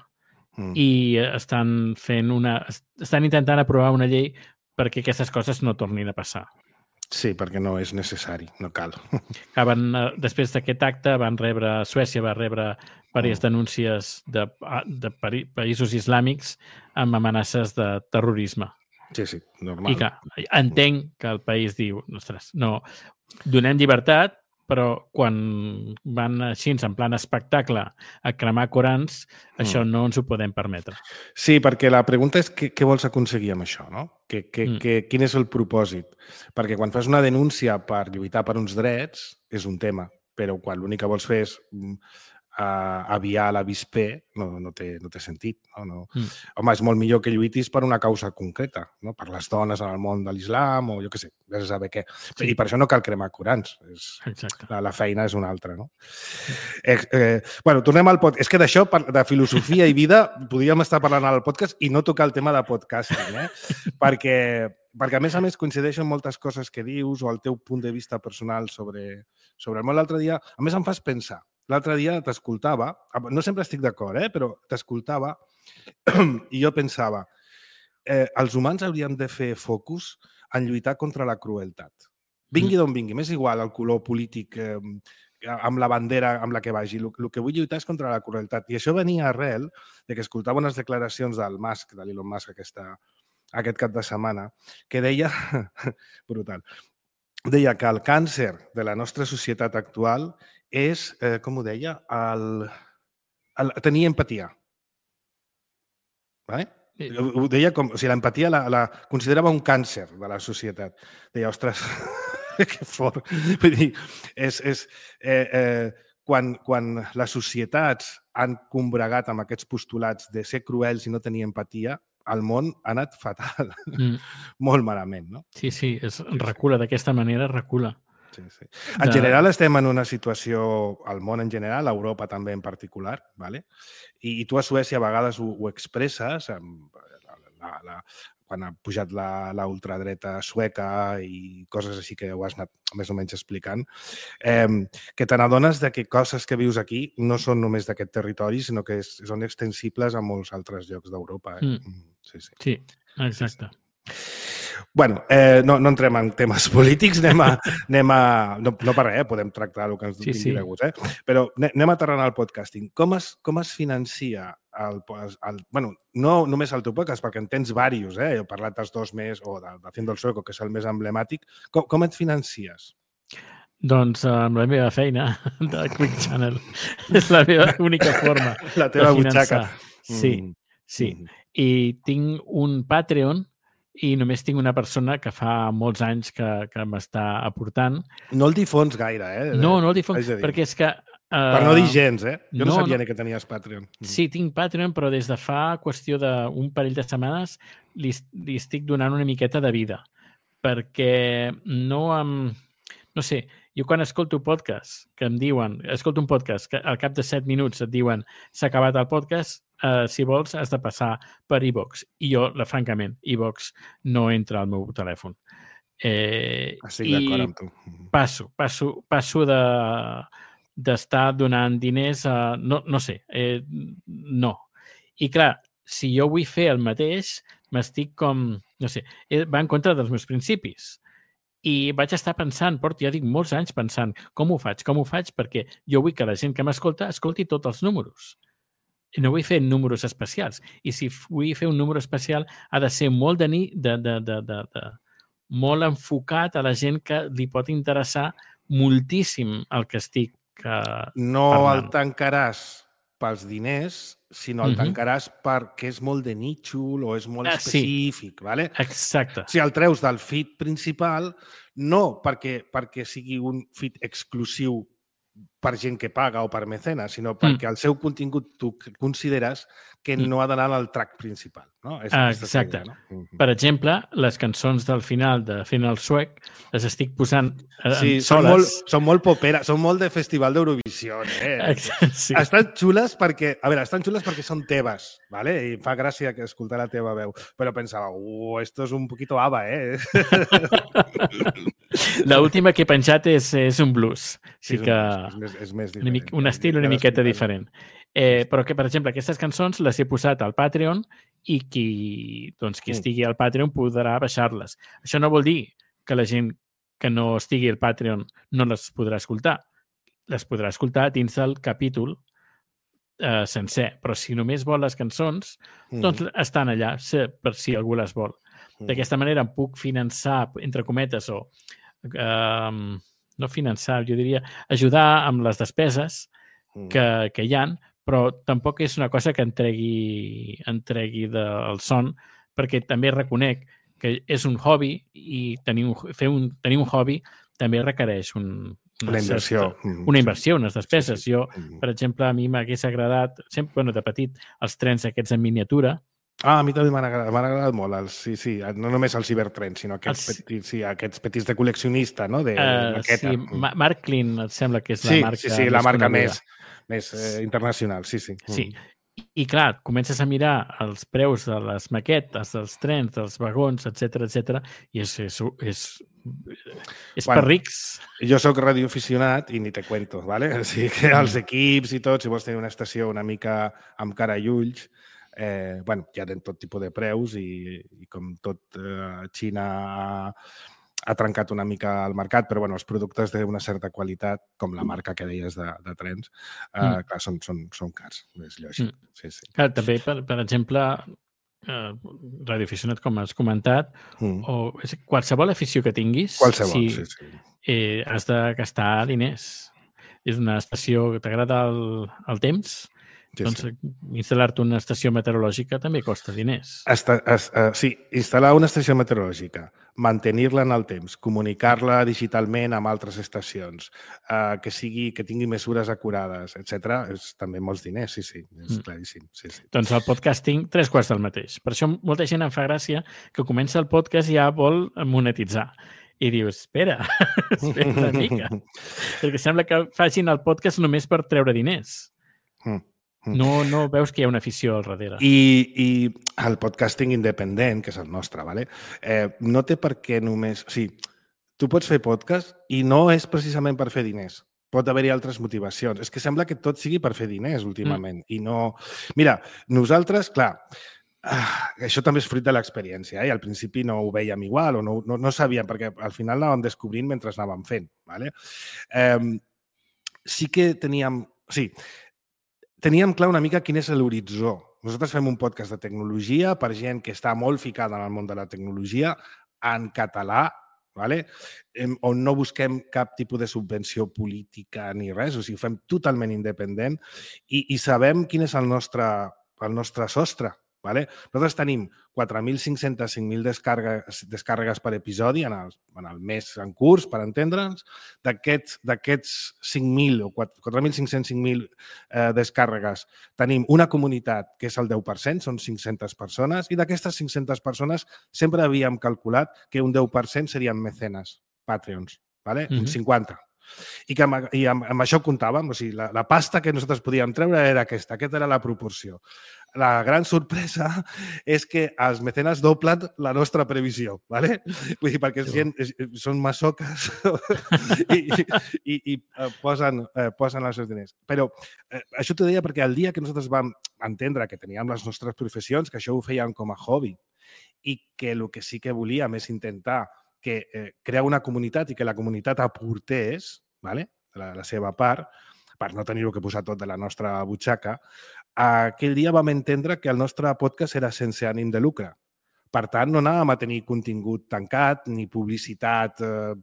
mm. i estan fent una... estan intentant aprovar una llei perquè aquestes coses no tornin a passar. Sí, perquè no és necessari, no cal. Van, després d'aquest acte van rebre, Suècia va rebre diverses denúncies de, de països islàmics amb amenaces de terrorisme. Sí, sí, normal. I que entenc que el país diu, ostres, no, donem llibertat, però quan van així en plan espectacle a cremar Corans, mm. això no ens ho podem permetre. Sí, perquè la pregunta és què, què vols aconseguir amb això, no? Que, que, mm. que, quin és el propòsit? Perquè quan fas una denúncia per lluitar per uns drets és un tema, però quan l'únic que vols fer és uh, aviar l'avispé, no, no, té, no té sentit. No? No. Mm. Home, és molt millor que lluitis per una causa concreta, no? Per les dones en el món de l'islam o jo què sé, ja se sabe què. Sí. I per això no cal cremar Corans. És, la, la feina és una altra, no? Eh, eh, bueno, tornem al podcast. És que d'això, de filosofia i vida, podríem estar parlant al podcast i no tocar el tema de podcasting, eh? perquè, perquè, a més a més, coincideixen moltes coses que dius o el teu punt de vista personal sobre, sobre el món. L'altre dia, a més, em fas pensar. L'altre dia t'escoltava, no sempre estic d'acord, eh? Però t'escoltava i jo pensava, eh, els humans hauríem de fer focus en lluitar contra la crueltat. Vingui d'on vingui, m'és igual el color polític eh, amb la bandera amb la que vagi. El, el que vull lluitar és contra la crueltat. I això venia arrel de que escoltava unes declaracions del Musk, de l'Elon Musk, aquesta, aquest cap de setmana, que deia, brutal, deia que el càncer de la nostra societat actual és, eh, com ho deia, el, el tenir empatia. Vale? Sí. Ho deia com, o sigui, l'empatia la, la considerava un càncer de la societat. Deia, ostres, que fort. Vull dir, és, és, eh, eh, quan, quan les societats han combregat amb aquests postulats de ser cruels i no tenir empatia, el món ha anat fatal. Mm. Molt malament, no? Sí, sí, es recula, d'aquesta manera recula. Sí, sí. En de... general estem en una situació, al món en general, a Europa també en particular, ¿vale? I, i tu a Suècia a vegades ho, ho expresses, amb la, la, la, quan ha pujat la, la ultradreta sueca i coses així que ho has anat més o menys explicant, eh, que te n'adones de que coses que vius aquí no són només d'aquest territori, sinó que és, són extensibles a molts altres llocs d'Europa. Eh? Mm. Sí, sí. Sí, exacte. Sí, sí. Bueno, eh, no, no entrem en temes polítics, anem a... Anem a no, no per res, eh? Podem tractar el que ens sí, vingui sí. de gust, eh? Però anem aterrant al podcasting. Com es, com es financia el, el... Bueno, no només el teu podcast, perquè en tens diversos, eh? He parlat dels dos més, o de, de Haciendo el Sueco, que és el més emblemàtic. Com, com et financies? Doncs amb la meva feina de Quick Channel. És la meva única forma la teva de finançar. Butxaca. Sí, sí. Mm. I tinc un Patreon i només tinc una persona que fa molts anys que, que m'està aportant. No el difons gaire, eh? No, no el difons, perquè és que... Uh, per no dir gens, eh? Jo no, no sabia no. ni que tenies Patreon. Sí, tinc Patreon, però des de fa qüestió d'un parell de setmanes li, li estic donant una miqueta de vida, perquè no em... No sé, jo quan escolto podcast que em diuen, escolto un podcast que al cap de set minuts et diuen s'ha acabat el podcast, uh, si vols has de passar per iVoox. I jo, la, francament, iVoox no entra al meu telèfon. Eh, Estic d'acord amb tu. Passo, passo, passo de d'estar donant diners a... No, no sé, eh, no. I clar, si jo vull fer el mateix, m'estic com... No sé, va en contra dels meus principis. I vaig estar pensant, porto, ja dic, molts anys pensant com ho faig, com ho faig, perquè jo vull que la gent que m'escolta escolti tots els números. I no vull fer números especials. I si vull fer un número especial ha de ser molt de, de, de, de, de, de molt enfocat a la gent que li pot interessar moltíssim el que estic uh, no parlant. El tancaràs pels diners, sinó el uh-huh. tancaràs perquè és molt de nítxol o és molt ah, específic, sí. ¿vale? Exacte. Si el treus del feed principal, no perquè, perquè sigui un feed exclusiu per gent que paga o per mecenes, sinó perquè mm. el seu contingut tu consideres que mm. no ha d'anar al track principal. No? És exacte. Idea, no? Per exemple, les cançons del final de Fent el Suec les estic posant eh, sí, soles. Són molt, són molt popera, són molt de Festival d'Eurovisió. Eh? Sí. Estan xules perquè, a veure, estan xules perquè són teves, ¿vale? I fa gràcia que escoltar la teva veu, però pensava, uh, esto es un poquito ABBA, eh? L'última que he penjat és, és un blues. Sí, sí que... és, més, és més diferent. Una, un estil una miqueta diferent. Eh, però que, per exemple, aquestes cançons les he posat al Patreon i qui, doncs, qui estigui al Patreon podrà baixar-les. Això no vol dir que la gent que no estigui al Patreon no les podrà escoltar. Les podrà escoltar dins del capítol eh, sencer. Però si només vol les cançons, doncs mm. estan allà, per si algú les vol. Mm. D'aquesta manera em puc finançar, entre cometes, o eh, no finançar, jo diria ajudar amb les despeses mm. que, que hi ha, però tampoc és una cosa que em tregui, em tregui del son, perquè també reconec que és un hobby i tenir un, fer un, tenir un hobby també requereix un, una, una inversió. Certa, una inversió, unes despeses. Sí, sí. Jo, per exemple, a mi m'hagués agradat, sempre, bueno, de petit, els trens aquests en miniatura. Ah, a mi també m'han agradat, m'han agradat molt, els, sí, sí, no només els cibertrens, sinó aquests, els... petits, sí, aquests petits de col·leccionista, no?, de uh, maqueta. Sí, Ma Mark Klein, et sembla que és sí, la marca sí, sí, la marca més, més eh, internacional, sí, sí. Sí, i clar, comences a mirar els preus de les maquetes, dels trens, dels vagons, etcètera, etcètera, i és, és, és, és bueno, per rics. Jo sóc radioaficionat i ni te cuento, ¿vale? O sigui que els equips i tot, si vols tenir una estació una mica amb cara i ulls, Eh, bueno, hi ha de tot tipus de preus i, i com tot eh, Xina ha, ha trencat una mica el mercat, però bueno, els productes d'una certa qualitat, com la marca que deies de, de trens, eh, mm. clar, són, són, són cars, és lògic. Mm. Sí, sí. Clar, també, per, per exemple, eh, radioaficionat, com has comentat, mm. o és, qualsevol afició que tinguis, qualsevol, si, sí, sí. Eh, has de gastar diners. És una estació que t'agrada el, el temps, sí, doncs sí. instal·lar-te una estació meteorològica també costa diners. Esta, es, uh, sí, instal·lar una estació meteorològica, mantenir-la en el temps, comunicar-la digitalment amb altres estacions, uh, que sigui que tingui mesures acurades, etcètera, és també molts diners, sí, sí, és mm. claríssim. Sí, sí. Doncs el podcasting, tres quarts del mateix. Per això molta gent em fa gràcia que comença el podcast i ja vol monetitzar. I dius, espera, espera una mica. Perquè sembla que facin el podcast només per treure diners. Mm. No, no veus que hi ha una afició al darrere. I, i el podcasting independent, que és el nostre, ¿vale? eh, no té per què només... O sigui, tu pots fer podcast i no és precisament per fer diners. Pot haver-hi altres motivacions. És que sembla que tot sigui per fer diners últimament. Mm. I no... Mira, nosaltres, clar... Ah, això també és fruit de l'experiència, eh? Al principi no ho veiem igual o no, no, no sabíem, perquè al final anàvem descobrint mentre anàvem fent. ¿Vale? Eh, sí que teníem... O sigui, teníem clar una mica quin és l'horitzó. Nosaltres fem un podcast de tecnologia per gent que està molt ficada en el món de la tecnologia, en català, ¿vale? eh, on no busquem cap tipus de subvenció política ni res, o sigui, ho fem totalment independent i, i sabem quin és el nostre, el nostre sostre. Vale? Nosaltres tenim quatre mil cinc-cents cinc mil descàrregues, descàrregues per episodi en el, en el mes en curs, per entendre'ns. D'aquests cinc mil o quatre mil cinc-cents cinc mil eh, descàrregues tenim una comunitat que és el deu per cent, són cinc-centes persones, i d'aquestes cinc-centes persones sempre havíem calculat que un deu per cent serien mecenes, Patreons, vale? Mm-hmm. Un cinquanta. I, que amb, i amb, amb això comptàvem, o sigui, la, la pasta que nosaltres podíem treure era aquesta, aquesta era la proporció. La gran sorpresa és que els mecenes doblen la nostra previsió, ¿vale? Vull dir, perquè sí. gent, són masoques i, i, i posen, eh, posen els seus diners. Però eh, això t'ho deia perquè el dia que nosaltres vam entendre que teníem les nostres professions, que això ho fèiem com a hobby i que el que sí que volíem és intentar que eh, crear una comunitat i que la comunitat aportés, ¿vale? la, la seva part, per no tenir-ho que posar tot de la nostra butxaca, aquell dia vam entendre que el nostre podcast era sense ànim de lucre. Per tant, no anàvem a tenir contingut tancat ni publicitat, eh,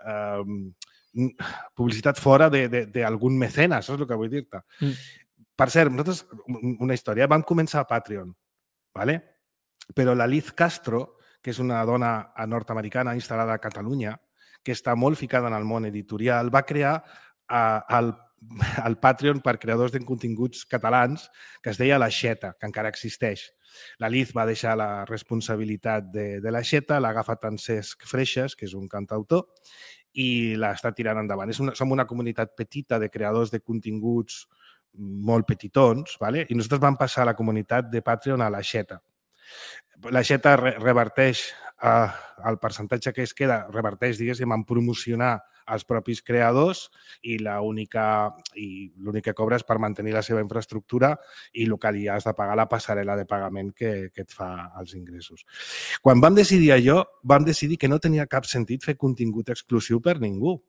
eh, publicitat fora d'algun mecenes, saps el que vull dir-te? Mm. Per cert, nosaltres, una història, vam començar a Patreon, ¿vale? Però la Liz Castro, que és una dona nord-americana instal·lada a Catalunya, que està molt ficada en el món editorial, va crear uh, el, el Patreon per creadors de continguts catalans, que es deia l'Aixeta, que encara existeix. La Liz va deixar la responsabilitat de, de l'Aixeta, l'ha agafat en Cesc Freixas, que és un cantautor, i l'està tirant endavant. És una, som una comunitat petita de creadors de continguts molt petitons, ¿vale? I nosaltres vam passar a la comunitat de Patreon a l'Aixeta. L'Aixeta reverteix eh, el percentatge que es queda, reverteix, diguéssim, en promocionar els propis creadors i l'únic que cobra és per mantenir la seva infraestructura i el que li has de pagar la passarel·la de pagament que, que et fa els ingressos. Quan vam decidir allò, vam decidir que no tenia cap sentit fer contingut exclusiu per ningú.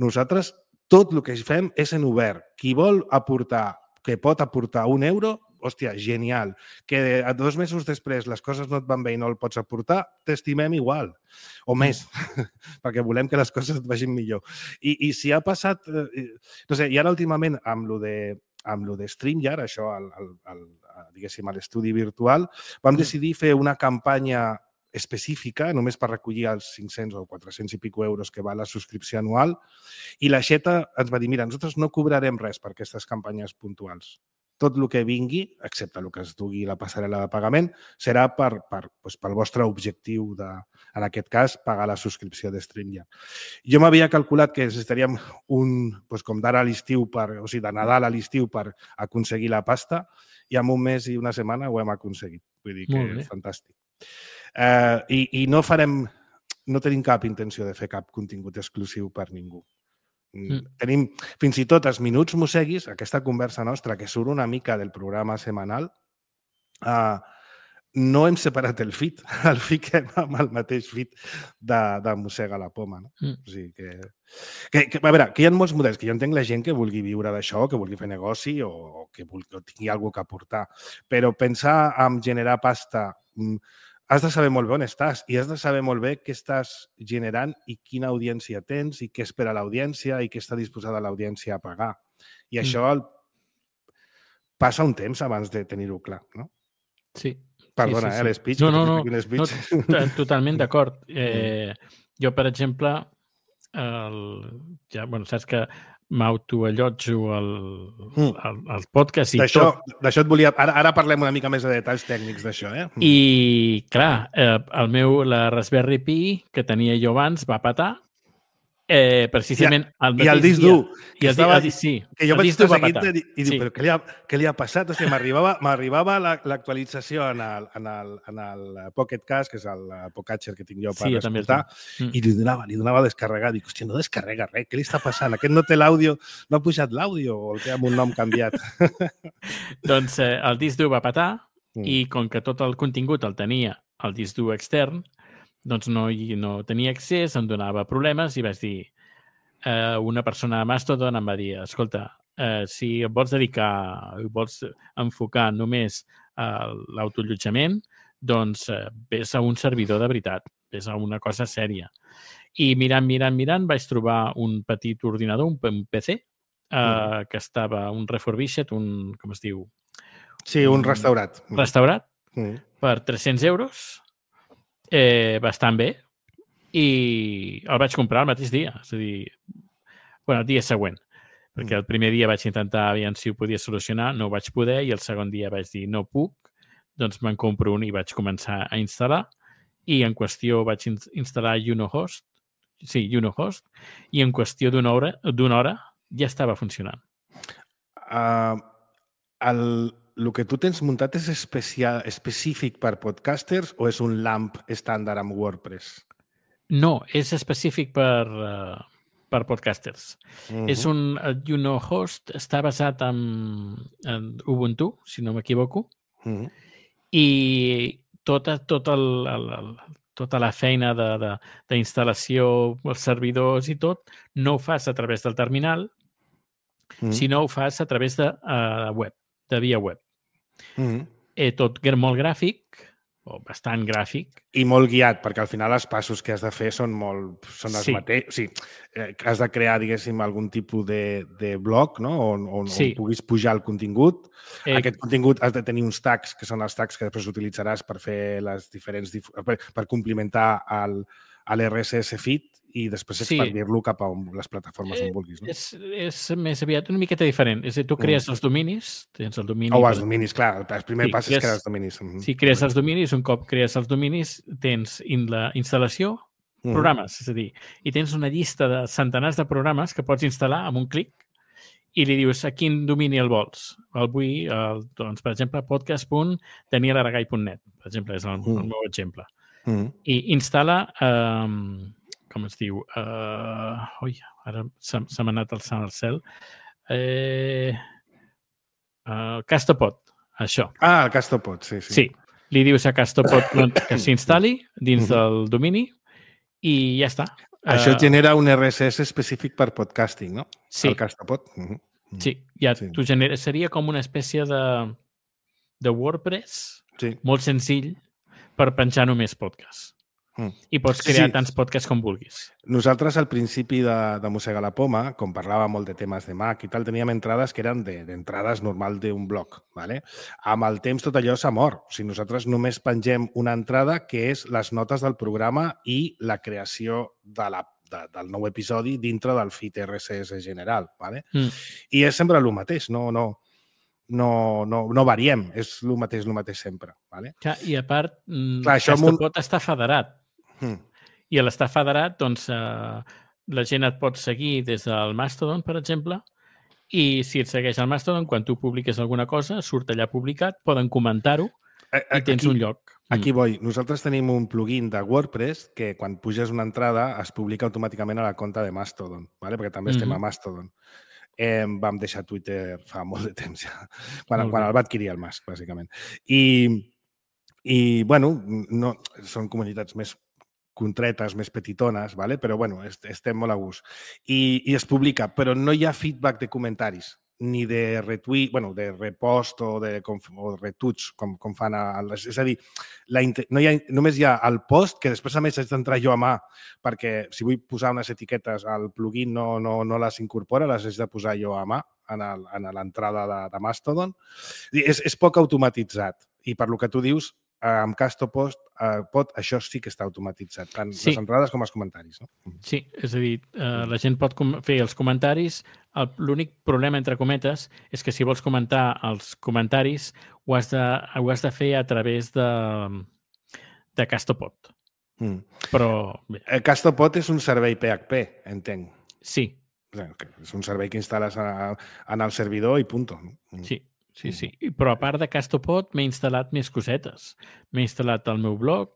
Nosaltres, tot el que fem és en obert. Qui vol aportar, que pot aportar un euro, hòstia, genial. Que dos mesos després les coses no et van bé i no el pots aportar, t'estimem igual. O més, mm. perquè volem que les coses et vagin millor. I, i si ha passat... Eh, no sé, i ara últimament amb lo de, amb lo de StreamYard, això, el, el, el, diguéssim, a l'estudi virtual, vam mm. decidir fer una campanya específica, només per recollir els cinc-cents o quatre-cents i pico euros que va la subscripció anual, i l'Aixeta ens va dir, mira, nosaltres no cobrarem res per aquestes campanyes puntuals. Tot el que vingui, excepte el que es dugui la passarel·la de pagament, serà per, per, doncs, pel vostre objectiu de, en aquest cas, pagar la subscripció de StreamYard. Jo m'havia calculat que necessitaríem un, doncs, com d'ara a l'estiu, o sigui, de Nadal a l'estiu per aconseguir la pasta, i en un mes i una setmana ho hem aconseguit. Vull dir que és fantàstic. Eh, i, I no farem, no tenim cap intenció de fer cap contingut exclusiu per ningú. Mm. Tenim fins i tot els minuts mosseguis, aquesta conversa nostra que surt una mica del programa setmanal, uh, no hem separat el feed, el fiquem amb el mateix feed de, de Mossega la Poma. No? Mm. O sigui que, que, que... A veure, que hi ha molts models, que jo entenc la gent que vulgui viure d'això, que vulgui fer negoci o, o que vulgui, o tingui alguna cosa que aportar. Però pensar en generar pasta, has de saber molt bé on estàs i has de saber molt bé què estàs generant i quina audiència tens i què espera l'audiència i què està disposada l'audiència a pagar. I mm. això el... passa un temps abans de tenir-ho clar, no? Sí. Perdona, sí, sí, sí. eh, l'espeech. No, no, no, no totalment d'acord. Eh, jo, per exemple, el, ja, bueno, saps que m'autoallotjo el, el, el podcast i tot. D'això et volia... Ara, ara parlem una mica més de detalls tècnics d'això, eh? I, clar, eh, el meu, la Raspberry Pi, que tenia jo abans, va patar. Eh, precisament el I el disc dur que, estava, el, sí, que jo vaig estar seguint i dic, sí. però què li, ha, què li ha passat? O sigui, m'arribava l'actualització en el, en, el, en el Pocket Cast, que és el Podcatcher que tinc jo per sí, escoltar, mm. i li donava, li donava a descarregar. Dic, hòstia, no descarrega res, què li està passant? Aquest no té l'àudio, no ha pujat l'àudio o el té amb un nom canviat? Doncs eh, el disc dur va patar mm. i com que tot el contingut el tenia el disc dur extern, doncs no, no tenia accés, em donava problemes i vaig dir, eh, una persona a Mastodon em va dir, escolta, eh, si et vols dedicar, vols enfocar només a l'autoallotjament, doncs eh, vés a un servidor de veritat, vés a una cosa sèria. I mirant, mirant, mirant, vaig trobar un petit ordinador, un P C, eh, mm. que estava un refurbished, un, com es diu? Sí, un, un restaurat. Restaurat, mm. per tres-cents euros, Eh, bastant bé, i el vaig comprar el mateix dia, és a dir, bueno, el dia següent, perquè el primer dia vaig intentar aviam si ho podia solucionar, no ho vaig poder, i el segon dia vaig dir no puc, doncs me'n compro un i vaig començar a instal·lar, i en qüestió vaig instal·lar Unohost, sí, Unohost, i en qüestió d'una hora, d'una hora ja estava funcionant. Uh, el... El que tu tens muntat és especial, específic per podcasters o és un LAMP estàndard amb WordPress? No, és específic per, uh, per podcasters. Uh-huh. És un... El Unohost està basat en, en Ubuntu, si no m'equivoco, uh-huh. i tota, tota, el, el, el, tota la feina d'instal·lació, els servidors i tot, no ho fas a través del terminal, uh-huh. sinó ho fas a través de uh, web. de via web. Mm-hmm. eh, tot molt gràfic, o bastant gràfic. I molt guiat, perquè al final els passos que has de fer són molt... Són els sí. mateixos. O sigui, eh, has de crear, diguéssim, algun tipus de, de blog, no? On, on, sí. on puguis pujar el contingut. Eh... Aquest contingut has de tenir uns tags, que són els tags que després utilitzaràs per fer les diferents... per, per complementar el, l'R S S feed i després expandir-lo sí. cap a les plataformes on vulguis. No? És, és més aviat una miqueta diferent. És a dir, tu crees mm. els dominis, tens el domini... O els dominis, clar. El primer sí, pas crees, és crear els dominis. Si crees els dominis, un cop crees els dominis, tens in la instal·lació, mm. programes, és a dir, i tens una llista de centenars de programes que pots instal·lar amb un clic i li dius a quin domini el vols. El vull, el, doncs, per exemple, podcast punt daniel aragay punt net, per exemple, és el, mm. el meu exemple. Mm. I instal·la... Eh, com es diu? Uh, ui, ara se, se m'ha anat alçant al cel. Eh, uh, Castopod, això. Ah, el Castopod, sí, sí. Sí, li dius a Castopod que s'instal·li dins del domini i ja està. Això uh, genera un R S S específic per podcasting, no? Sí. El Castopod. Uh -huh. Sí, ja sí. Tu genera, seria com una espècie de, de WordPress sí. molt senzill per penjar només podcasts. Mm. I pots crear sí. tants podcasts com vulguis. Nosaltres, al principi de, de Mossega la Poma, com parlàvem molt de temes de Mac i tal, teníem entrades que eren d'entrades de, normal d'un blog. ¿vale? Amb el temps tot allò s'ha mort. O sigui, nosaltres només pengem una entrada que és les notes del programa i la creació de la, de, del nou episodi dintre del feed R S S general. ¿vale? Mm. I és sempre el mateix, no... no No, no, no variem, és el mateix, el mateix sempre. Vale? Clar, i a part, Clar, Castopod un... està federat. Mm. I a l'estar federat, doncs, eh, la gent et pot seguir des del Mastodon, per exemple, i si et segueix al Mastodon, quan tu publiques alguna cosa, surt allà publicat, poden comentar-ho i tens aquí, un lloc. Aquí vull. Nosaltres tenim un plugin de WordPress que quan puges una entrada es publica automàticament a la compte de Mastodon, ¿vale? Perquè també estem mm-hmm. a Mastodon. Eh, vam deixar Twitter fa molt de temps ja, quan, quan el va adquirir el Musk, bàsicament. I I, bueno, no, són comunitats més contretes, més petitones, ¿vale? Però, bueno, estem molt a gust. I, I es publica, però no hi ha feedback de comentaris, ni de retweet, bueno, de repost o de o retuits, com, com fan a les... És a dir, la, no hi ha, només hi ha el post, que després a més haig d'entrar jo a mà, perquè si vull posar unes etiquetes al plugin no, no, no les incorpora, les haig de posar jo a mà en l'entrada de, de Mastodon. És, és poc automatitzat. I per lo que tu dius, amb Castopod, eh, pot, això sí que està automatitzat, tant sí. les entrades com els comentaris. No? Sí, és a dir, eh, la gent pot fer els comentaris. L'únic problema, entre cometes, és que si vols comentar els comentaris ho has de, ho has de fer a través de, de Castopod. Mm. Però... Bé. El Castopod és un servei P H P, entenc. Sí. És un servei que instal·les en el servidor i punt. No? Sí. Sí, sí. Però a part de Castopod m'he instal·lat més cosetes. M'he instal·lat el meu blog,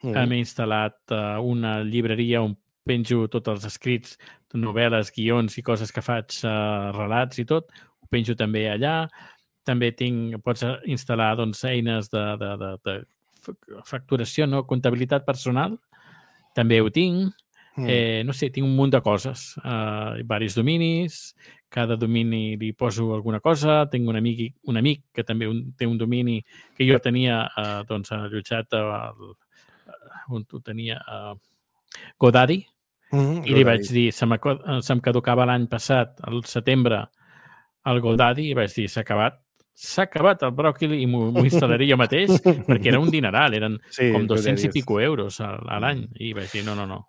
mm. m'he instal·lat uh, una llibreria on penjo tots els escrits, novel·les, guions i coses que faig, uh, relats i tot. Ho penjo també allà. També tinc, pots instal·lar doncs, eines de, de, de, de facturació, no? Comptabilitat personal. També ho tinc. Mm. Eh, no sé, tinc un munt de coses. Uh, diversos dominis. Cada domini li poso alguna cosa. Tinc un amic, un amic que també un, té un domini que jo tenia eh, doncs, allotjat al, on ho tenia a GoDaddy. Mm-hmm, I li vaig dir, se, se'm caducava l'any passat, al setembre, al GoDaddy, i vaig dir, s'ha acabat. S'ha acabat el bròquil i m'ho instal·laré jo mateix, perquè era un dineral, eren sí, com dos-cents i pico euros a, a l'any. I vaig dir, no, no, no.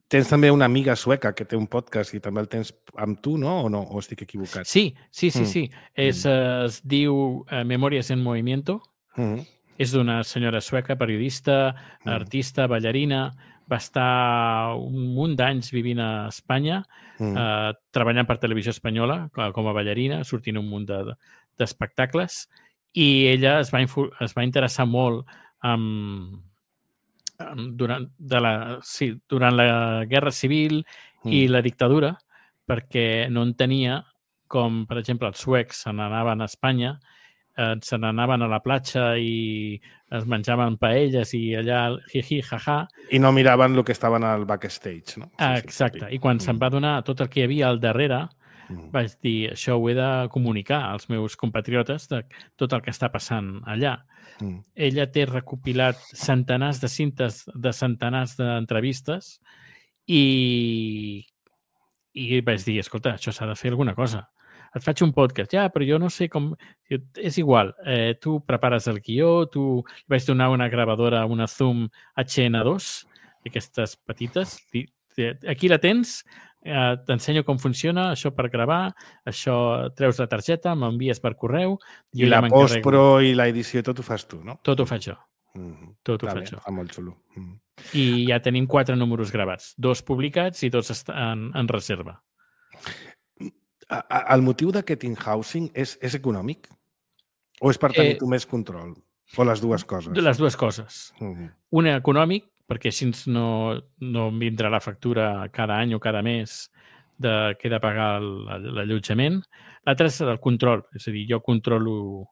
Tens també una amiga sueca que té un podcast i també el tens amb tu, no? O no? O estic equivocat? Sí, sí, sí. sí. Mm. És, es diu uh, Memòries en Movimiento. Mm. És d'una senyora sueca, periodista, mm. artista, ballarina. Va estar un munt d'anys vivint a Espanya, mm. uh, treballant per Televisió Espanyola com a ballarina, sortint un munt d'espectacles. De, I ella es va, es va interessar molt amb... Durant, de la, sí, durant la Guerra Civil mm. i la dictadura, perquè no entenia com, per exemple, els suecs se n'anaven a Espanya, eh, se n'anaven a la platja i es menjaven paelles i allà hi-hi, ha-ha. I no miraven el que estaven al backstage, no? Ah, exacte. I quan mm. se'n va donar tot el que hi havia al darrere, mm. vaig dir, això ho he de comunicar als meus compatriotes de tot el que està passant allà. Mm. Ella té recopilat centenars de cintes de centenars d'entrevistes i, i vaig dir, escolta, això s'ha de fer alguna cosa. Et faig un podcast, ja, però jo no sé com... És igual, eh, tu prepares el guió, tu vaig donar una gravadora, una Zoom H N dos, d'aquestes petites. Aquí la tens, eh, t'ensenyo com funciona, això per gravar, això treus la targeta, m'envies per correu... I la post-pro i l'edició, tot ho fas tu, no? Tot ho faig jo. Mm-hmm. Tot ho Està faig bé, jo. Està molt xulo. Mm. I ja tenim quatre números gravats, dos publicats i dos en, en reserva. El motiu d'aquest in-housing és, és econòmic? O és per tenir eh, tu més control? O les dues coses? Les dues coses. Mm-hmm. Una econòmic, perquè així no, no vindrà la factura cada any o cada mes de que he de pagar l'allotjament. L'altra és el control, és a dir, jo controlo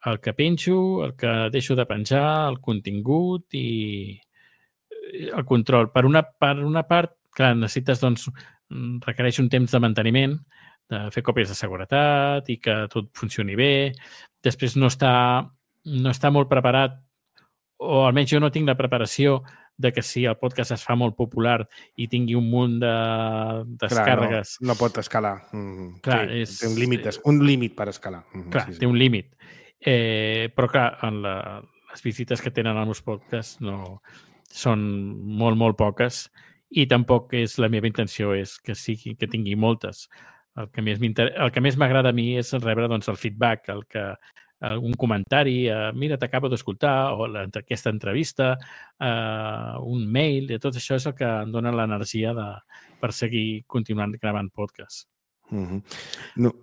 el que penjo, el que deixo de penjar, el contingut i el control. Per una, per una part, clar, necessites, doncs, requereix un temps de manteniment, de fer còpies de seguretat i que tot funcioni bé. Després no està, no està molt preparat, o almenys jo no tinc la preparació de que si el podcast es fa molt popular i tingui un munt de descàrregues... Clar, no, no pot escalar. Mm, clar, sí, és, té un límit, un límit per escalar. Mm, clar, sí, sí. Té un límit. Eh, però, clar, en la, les visites que tenen als meus podcasts no, són molt, molt poques i tampoc és la meva intenció és que, sigui, que tingui moltes. El que més el que més m'agrada a mi és rebre doncs, el feedback, el que un comentari, uh, mira, t'acabo d'escoltar, o la, aquesta entrevista, uh, un mail, i tot això és el que em dona l'energia de, per seguir continuant gravant podcast. Mm-hmm. No,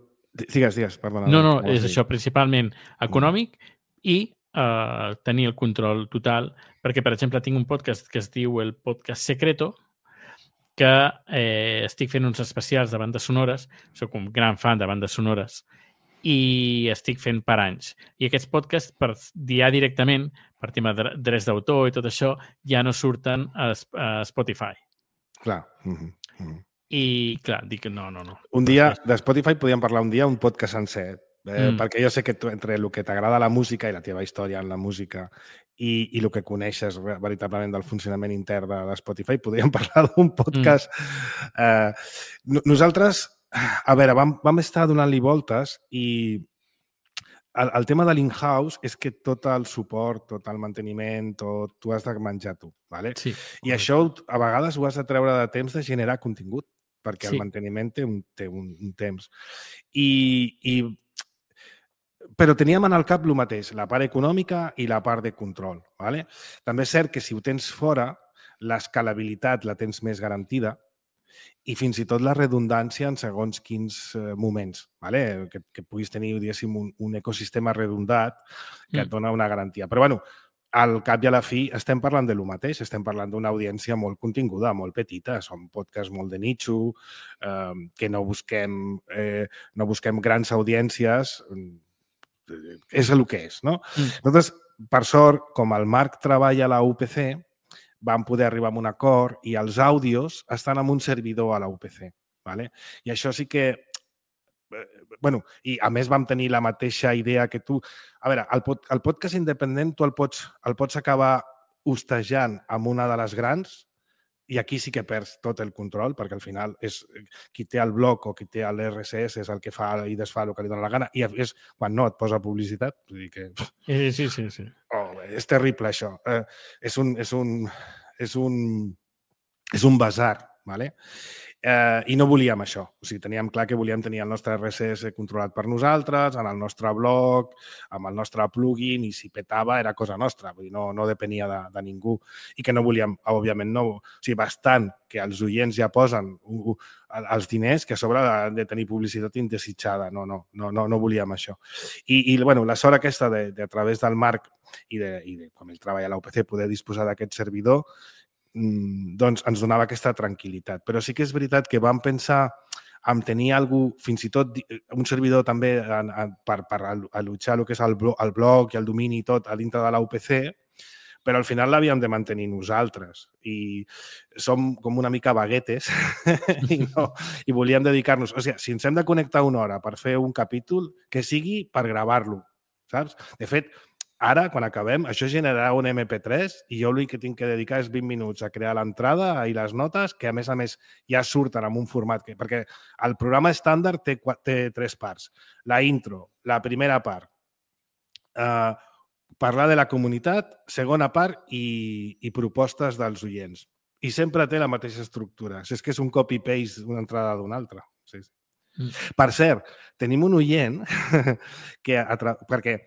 digues, digues, perdona. No, no, és això, principalment econòmic mm. i uh, tenir el control total, perquè, per exemple, tinc un podcast que es diu el Podcast Secreto, que eh, estic fent uns especials de bandes sonores, soc un gran fan de bandes sonores, i estic fent per anys. I aquests podcasts, per ja directament, per tema de drets d'autor i tot això, ja no surten a, a Spotify. Clar. Mm-hmm. Mm-hmm. I, clar, dic no, no, no. Un dia, de Spotify podíem parlar un dia un podcast sencer, eh, Mm. perquè jo sé que tu, entre el que t'agrada la música i la teva història en la música i, i el que coneixes veritablement del funcionament intern de, de Spotify, podríem parlar d'un podcast. Mm. Eh, nosaltres, a veure, vam, vam estar donant-li voltes i el, el tema de l'in-house és que tot el suport, tot el manteniment, tot tu has de menjar tu, ¿vale? Sí. I això a vegades ho has de treure de temps de generar contingut, perquè sí. El manteniment té un, té un, un temps. I, i però teníem en el cap el mateix, la part econòmica i la part de control. ¿vale? També és cert que si ho tens fora, l'escalabilitat la tens més garantida i fins i tot la redundància en segons quins eh, moments, ¿vale? que, que puguis tenir un, un ecosistema redundat que mm. et dona una garantia. Però bueno, al cap i a la fi estem parlant de lo mateix, estem parlant d'una audiència molt continguda, molt petita, són podcasts molt de nicho, eh, que no busquem, eh, no busquem grans audiències, és el que és, no? Mm. Nosaltres, per sort, com el Marc treballa a la U P C, vam poder arribar a un acord i els àudios estan en un servidor a la U P C. ¿vale? I això sí que... bueno, i a més vam tenir la mateixa idea que tu. A veure, el, pod, el podcast independent tu el pots, el pots acabar hostejant amb una de les grans i aquí sí que perds tot el control perquè al final és qui té el blog o qui té l'R S S és el que fa i desfà el que li dona la gana i és quan no et posa publicitat. Vull dir que... Sí, sí, sí. sí. Oh, és terrible això. Eh, és un... És un, és un, és un basar, ¿vale? Eh, I no volíem això. O sigui, teníem clar que volíem tenir el nostre R S S controlat per nosaltres, en el nostre blog, amb el nostre plugin, i si petava era cosa nostra, vull dir, no, no depenia de, de ningú. I que no volíem, òbviament, no. O sigui, bastant que els oients ja posen uh, uh, els diners que a sobre han de tenir publicitat indesitjada. No, no, no, no, no volíem això. I, i bueno, la sort aquesta de, de a través del Marc i de, i de com ell treballa a la U P C, poder disposar d'aquest servidor, doncs ens donava aquesta tranquil·litat. Però sí que és veritat que vam pensar en tenir algú, fins i tot un servidor també en, en, per, per allotjar el que és el blog, el blog i el domini i tot a dintre de la U P C, però al final l'havíem de mantenir nosaltres i som com una mica baguetes i, no, i volíem dedicar-nos... O sigui, si ens hem de connectar una hora per fer un capítol, que sigui per gravar-lo, saps? De fet, ara, quan acabem, això generarà un M P tres i jo l'únic que tinc que dedicar és vint minuts a crear l'entrada i les notes, que a més a més ja surten en un format, que, perquè el programa estàndard té, té tres parts. La intro, la primera part, eh, parlar de la comunitat, segona part i, i propostes dels oients. I sempre té la mateixa estructura. Si és que és un copy-paste d'una entrada d'una altra. Sí, sí. Mm. Per cert, tenim un oient que... perquè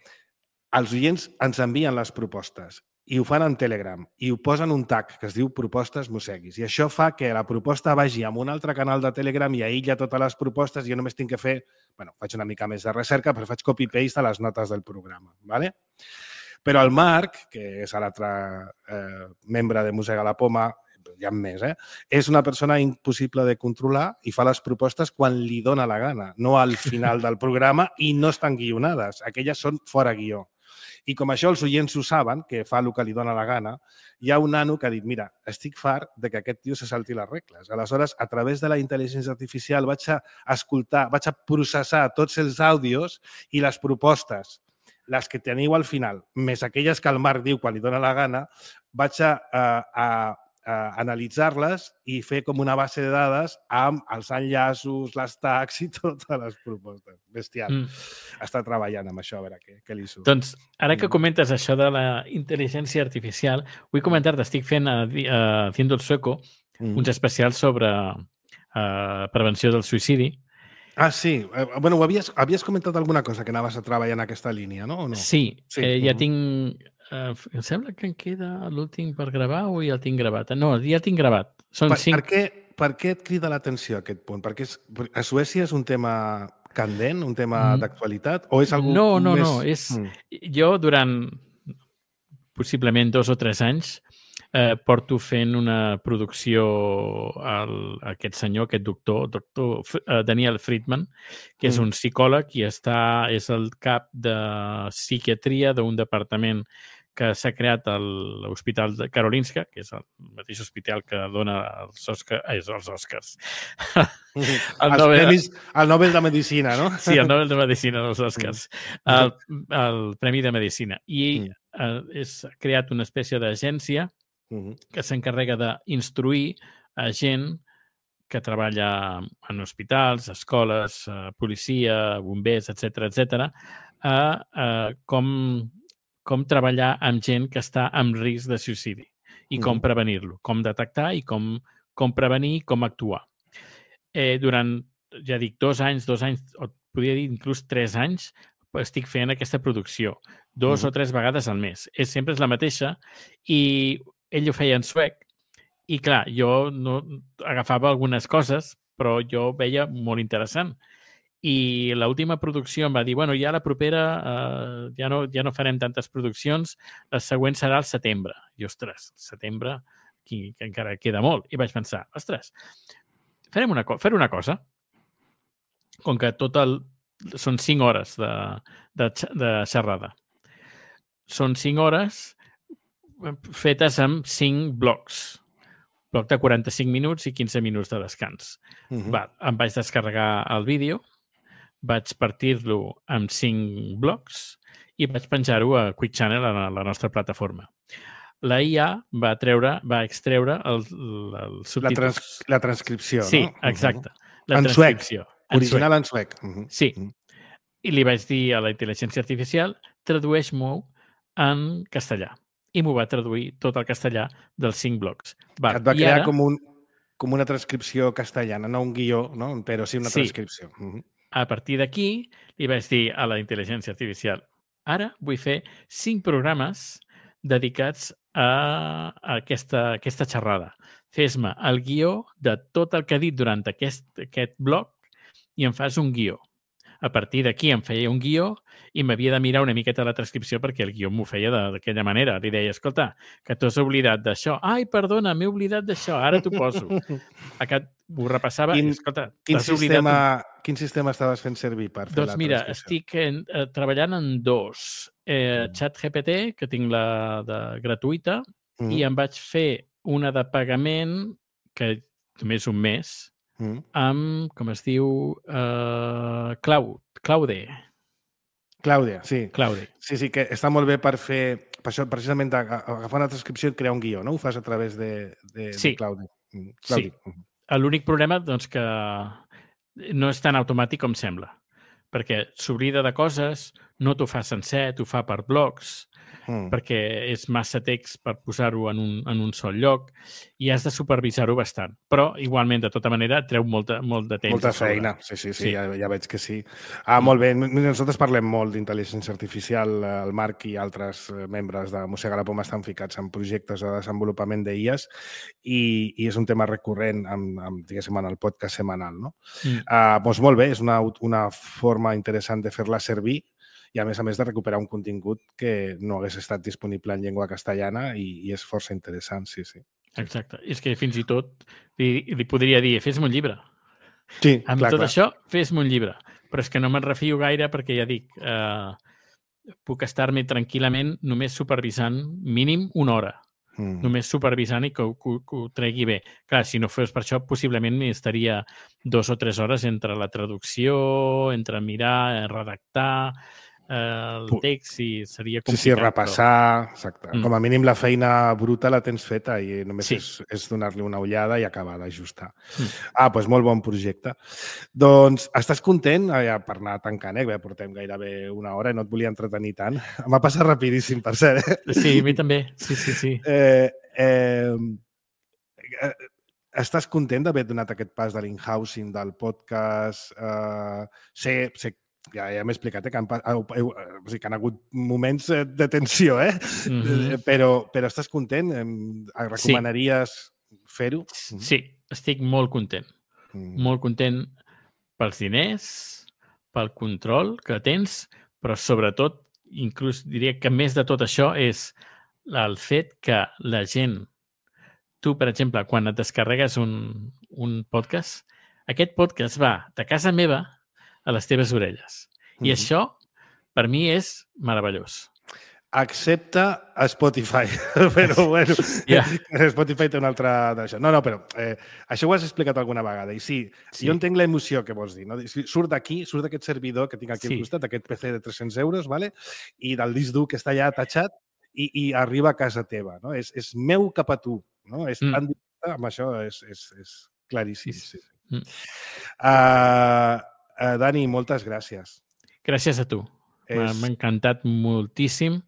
els oients ens envien les propostes i ho fan en Telegram i ho posen un tag que es diu propostes mosseguis. I això fa que la proposta vagi a un altre canal de Telegram i aïlla totes les propostes i jo només tinc que fer... bueno, faig una mica més de recerca, però faig copy-paste a les notes del programa. ¿vale? Però el Marc, que és l'altre eh, membre de Mossega la Poma, hi ha més, eh? és una persona impossible de controlar i fa les propostes quan li dona la gana, no al final del programa i no estan guionades. Aquelles són fora guió. I com això els oients ho saben, que fa el que li dona la gana, hi ha un nano que ha dit, mira, estic fart de que aquest tio se salti les regles. Aleshores, a través de la intel·ligència artificial vaig a escoltar, vaig a processar tots els àudios i les propostes, les que teniu al final, més aquelles que el Marc diu quan li dona la gana, vaig a, a, a Uh, analitzar-les i fer com una base de dades amb els enllaços, les tags i totes les propostes. Bestial. Mm. Està treballant amb això, a veure què, què li surt. Doncs, ara que comentes això de la intel·ligència artificial, vull comentar-te, estic fent a, a Haciendo el Sueco mm. uns especials sobre uh, prevenció del suïcidi. Ah, sí. Eh, bueno, havies, havies comentat alguna cosa que anaves a treballar en aquesta línia, no? O no? Sí, sí. Eh, ja mm. tinc... Uh, em sembla que em queda l'últim per gravar o ja el tinc gravat? No, ja el tinc gravat. Són per, cinc... per, què, per què et crida l'atenció aquest punt? Perquè és, a Suècia és un tema candent, un tema mm. d'actualitat? O és algú no, no, més... no. És... Mm. Jo, durant possiblement dos o tres anys, eh, porto fent una producció al, aquest senyor, aquest doctor, doctor uh, Daniel Friedman, que és mm. un psicòleg i està, és el cap de psiquiatria d'un departament que s'ha creat a l'Hospital de Karolinska, que és el mateix hospital que dona els Oscars. Eh, els Oscars. el, els Nobel... premis, el Nobel de Medicina, no? Sí, el Nobel de Medicina, els Oscars. El, el Premi de Medicina. I eh, és creat una espècie d'agència que s'encarrega d'instruir a gent que treballa en hospitals, escoles, policia, bombers, etcètera, etcètera, a, a com... com treballar amb gent que està en risc de suïcidi i com prevenir-lo, com detectar i com, com prevenir i com actuar. Eh, durant, ja dic, dos anys, dos anys, o podria dir inclús tres anys, estic fent aquesta producció, dos uh-huh. o tres vegades al mes. És, sempre és la mateixa i ell ho feia en suec i, clar, jo no agafava algunes coses, però jo veia molt interessant. I l'última producció em va dir, bueno, ja la propera eh, ja, no, ja no farem tantes produccions, la següent serà al setembre. I, ostres, setembre, que, que encara queda molt. I vaig pensar, ostres, farem una, farem una cosa. Com que tot el... Són cinc hores de, de, de xerrada. Són cinc hores fetes amb cinc blocs. Bloc de quaranta-cinc minuts i quinze minuts de descans. Uh-huh. Va, em vaig descarregar el vídeo, vaig partir-lo en cinc blocs i vaig penjar-ho a Quick Channel, a la nostra plataforma. La I A va treure, va extreure el, el subtítols. La, trans, la transcripció, sí, no? Sí, exacte. La en transcripció. Suec. Original en suec. Uh-huh. Sí. Uh-huh. I li vaig dir a la intel·ligència artificial, tradueix-m'ho en castellà. I m'ho va traduir tot el castellà dels cinc blocs. Va, et va crear ara... com, un, com una transcripció castellana, no un guió, no? Però sí una sí. transcripció. Uh-huh. A partir d'aquí, li vaig dir a la intel·ligència artificial, ara vull fer cinc programes dedicats a, a aquesta, aquesta xerrada. Fes-me el guió de tot el que ha dit durant aquest, aquest bloc i em fas un guió. A partir d'aquí em feia un guió i m'havia de mirar una miqueta la transcripció perquè el guió m'ho feia d'aquella manera. Li deia, escolta, que t'has oblidat d'això. Ai, perdona, m'he oblidat d'això, ara t'ho poso. Aquest ho repassava quin, i, escolta, quin t'has sistema, oblidat... Quin sistema estaves fent servir per fer doncs la mira, transcripció? estic en, eh, treballant en dos. Eh, mm. ChatGPT, que tinc la de gratuïta, mm. i em vaig fer una de pagament, que només un mes, mm. amb, com es diu, uh, Cloud, Claude. Claudia, sí. Claude. Sí, sí, que està molt bé per fer... Per això, precisament, agafar una transcripció i crear un guió, no? Ho fas a través de, de, sí. de Claude. Sí. L'únic problema, doncs, que no és tan automàtic com sembla, perquè s'oblida de coses, no t'ho fa sencer, t'ho fa per blocs, mm. perquè és massa text per posar-ho en, un, en un sol lloc i has de supervisar-ho bastant. Però, igualment, de tota manera, et treu molta, molt de temps. Molta feina, sí, sí, sí, sí. Ja, ja veig que sí. Ah, mm. molt bé. Nosaltres parlem molt d'intel·ligència artificial. El Marc i altres membres de Mossega la Poma estan ficats en projectes de desenvolupament d'I As i, i és un tema recurrent amb, amb, diguéssim, en el podcast setmanal, no? Mm. Ah, doncs molt bé, és una, una forma interessant de fer-la servir i, a més a més, de recuperar un contingut que no hagués estat disponible en llengua castellana i, i és força interessant, sí, sí. Exacte. És que fins i tot li, li podria dir, fes-me un llibre. Sí, Amb clar, tot clar. això, fes-me un llibre. Però és que no me'n refio gaire perquè, ja dic, eh, puc estar-me tranquil·lament només supervisant mínim una hora. Mm. Només supervisant i que ho, que, que ho tregui bé. Clar, si no fos per això, possiblement estaria dos o tres hores entre la traducció, entre mirar, redactar el text i seria complicat. Sí, sí, repassar, però... exacte. Mm. Com a mínim la feina bruta la tens feta i només sí. és, és donar-li una ullada i acabar d'ajustar. Mm. Ah, doncs molt bon projecte. Doncs estàs content? Ja, per anar tancant, eh? Ja portem gairebé una hora i no et volia entretenir tant. M'ha passat rapidíssim, per cert. Eh? Sí, a mi també. Sí, sí, sí. Eh, eh, eh, estàs content d'haver donat aquest pas de l'in-housing, del podcast? Eh, sé, sé Ja, ja m'he explicat, eh, que, han, eh, o sigui, que han hagut moments de tensió, eh? Mm-hmm. però, però estàs content? Recomanaries sí. fer-ho? Sí, estic molt content. Mm. Molt content pels diners, pel control que tens, però sobretot, inclús diria que més de tot això és el fet que la gent, tu, per exemple, quan et descarregues un, un podcast, aquest podcast va de casa meva a les teves orelles. I mm-hmm. això, per mi, és meravellós. Excepte a Spotify, però bueno, yeah. Spotify té una altra d'això. No, no, però eh, això ho has explicat alguna vegada i sí, sí. jo entenc l'emoció que vols dir. No? Surt d'aquí, surt d'aquest servidor que tinc aquí sí. al costat, aquest P C de tres-cents euros, vale? I del disc dur que està allà atachat i, i arriba a casa teva. No? És, és meu cap a tu. No? És mm. tan directe, amb això és, és, és claríssim. Sí. Mm. Uh, uh, Dani, moltes gràcies. Gràcies a tu. És... M'ha encantat moltíssim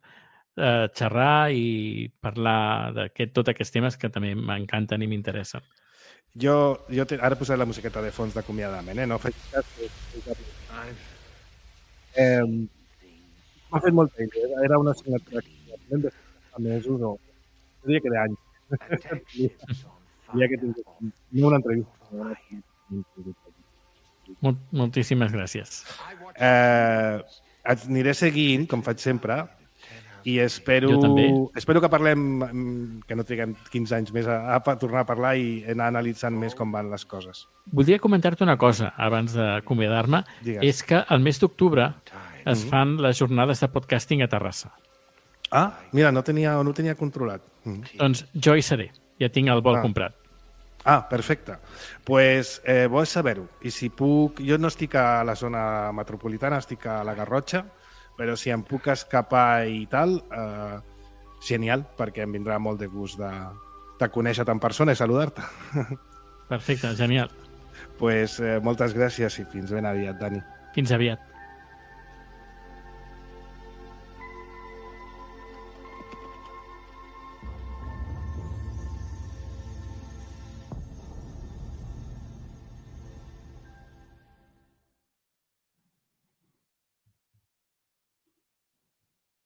Uh, xerrar i parlar de tots aquests temes que també m'encanten i m'interessen. Jo, jo te, ara posaré la musiqueta de fons d'acomiadament, eh? No faig cas. Eh, M'ha fet molt temps. Era una assignatura que de mesos o diria que d'anys. Diria que tinc una entrevista. Mol, moltíssimes gràcies. Eh, et aniré seguint, com faig sempre, i espero, espero que parlem, que no triguem quinze anys més a, a tornar a parlar i anar analitzant més com van les coses. Voldria comentar-te una cosa abans d'acomiadar-me. És que el mes d'octubre es fan les jornades de podcasting a Terrassa. Ah, mira, no tenia, no tenia controlat. Mm. Doncs jo hi seré. Ja tinc el vol ah. comprat. Ah, perfecte. Doncs pues, eh, vols saber-ho. I si puc... Jo no estic a la zona metropolitana, estic a la Garrotxa, però si em puc escapar i tal, eh, genial, perquè em vindrà molt de gust de, de conèixer-te en persona i saludar-te. Perfecte, genial. Doncs pues, eh, moltes gràcies i fins ben aviat, Dani. Fins aviat.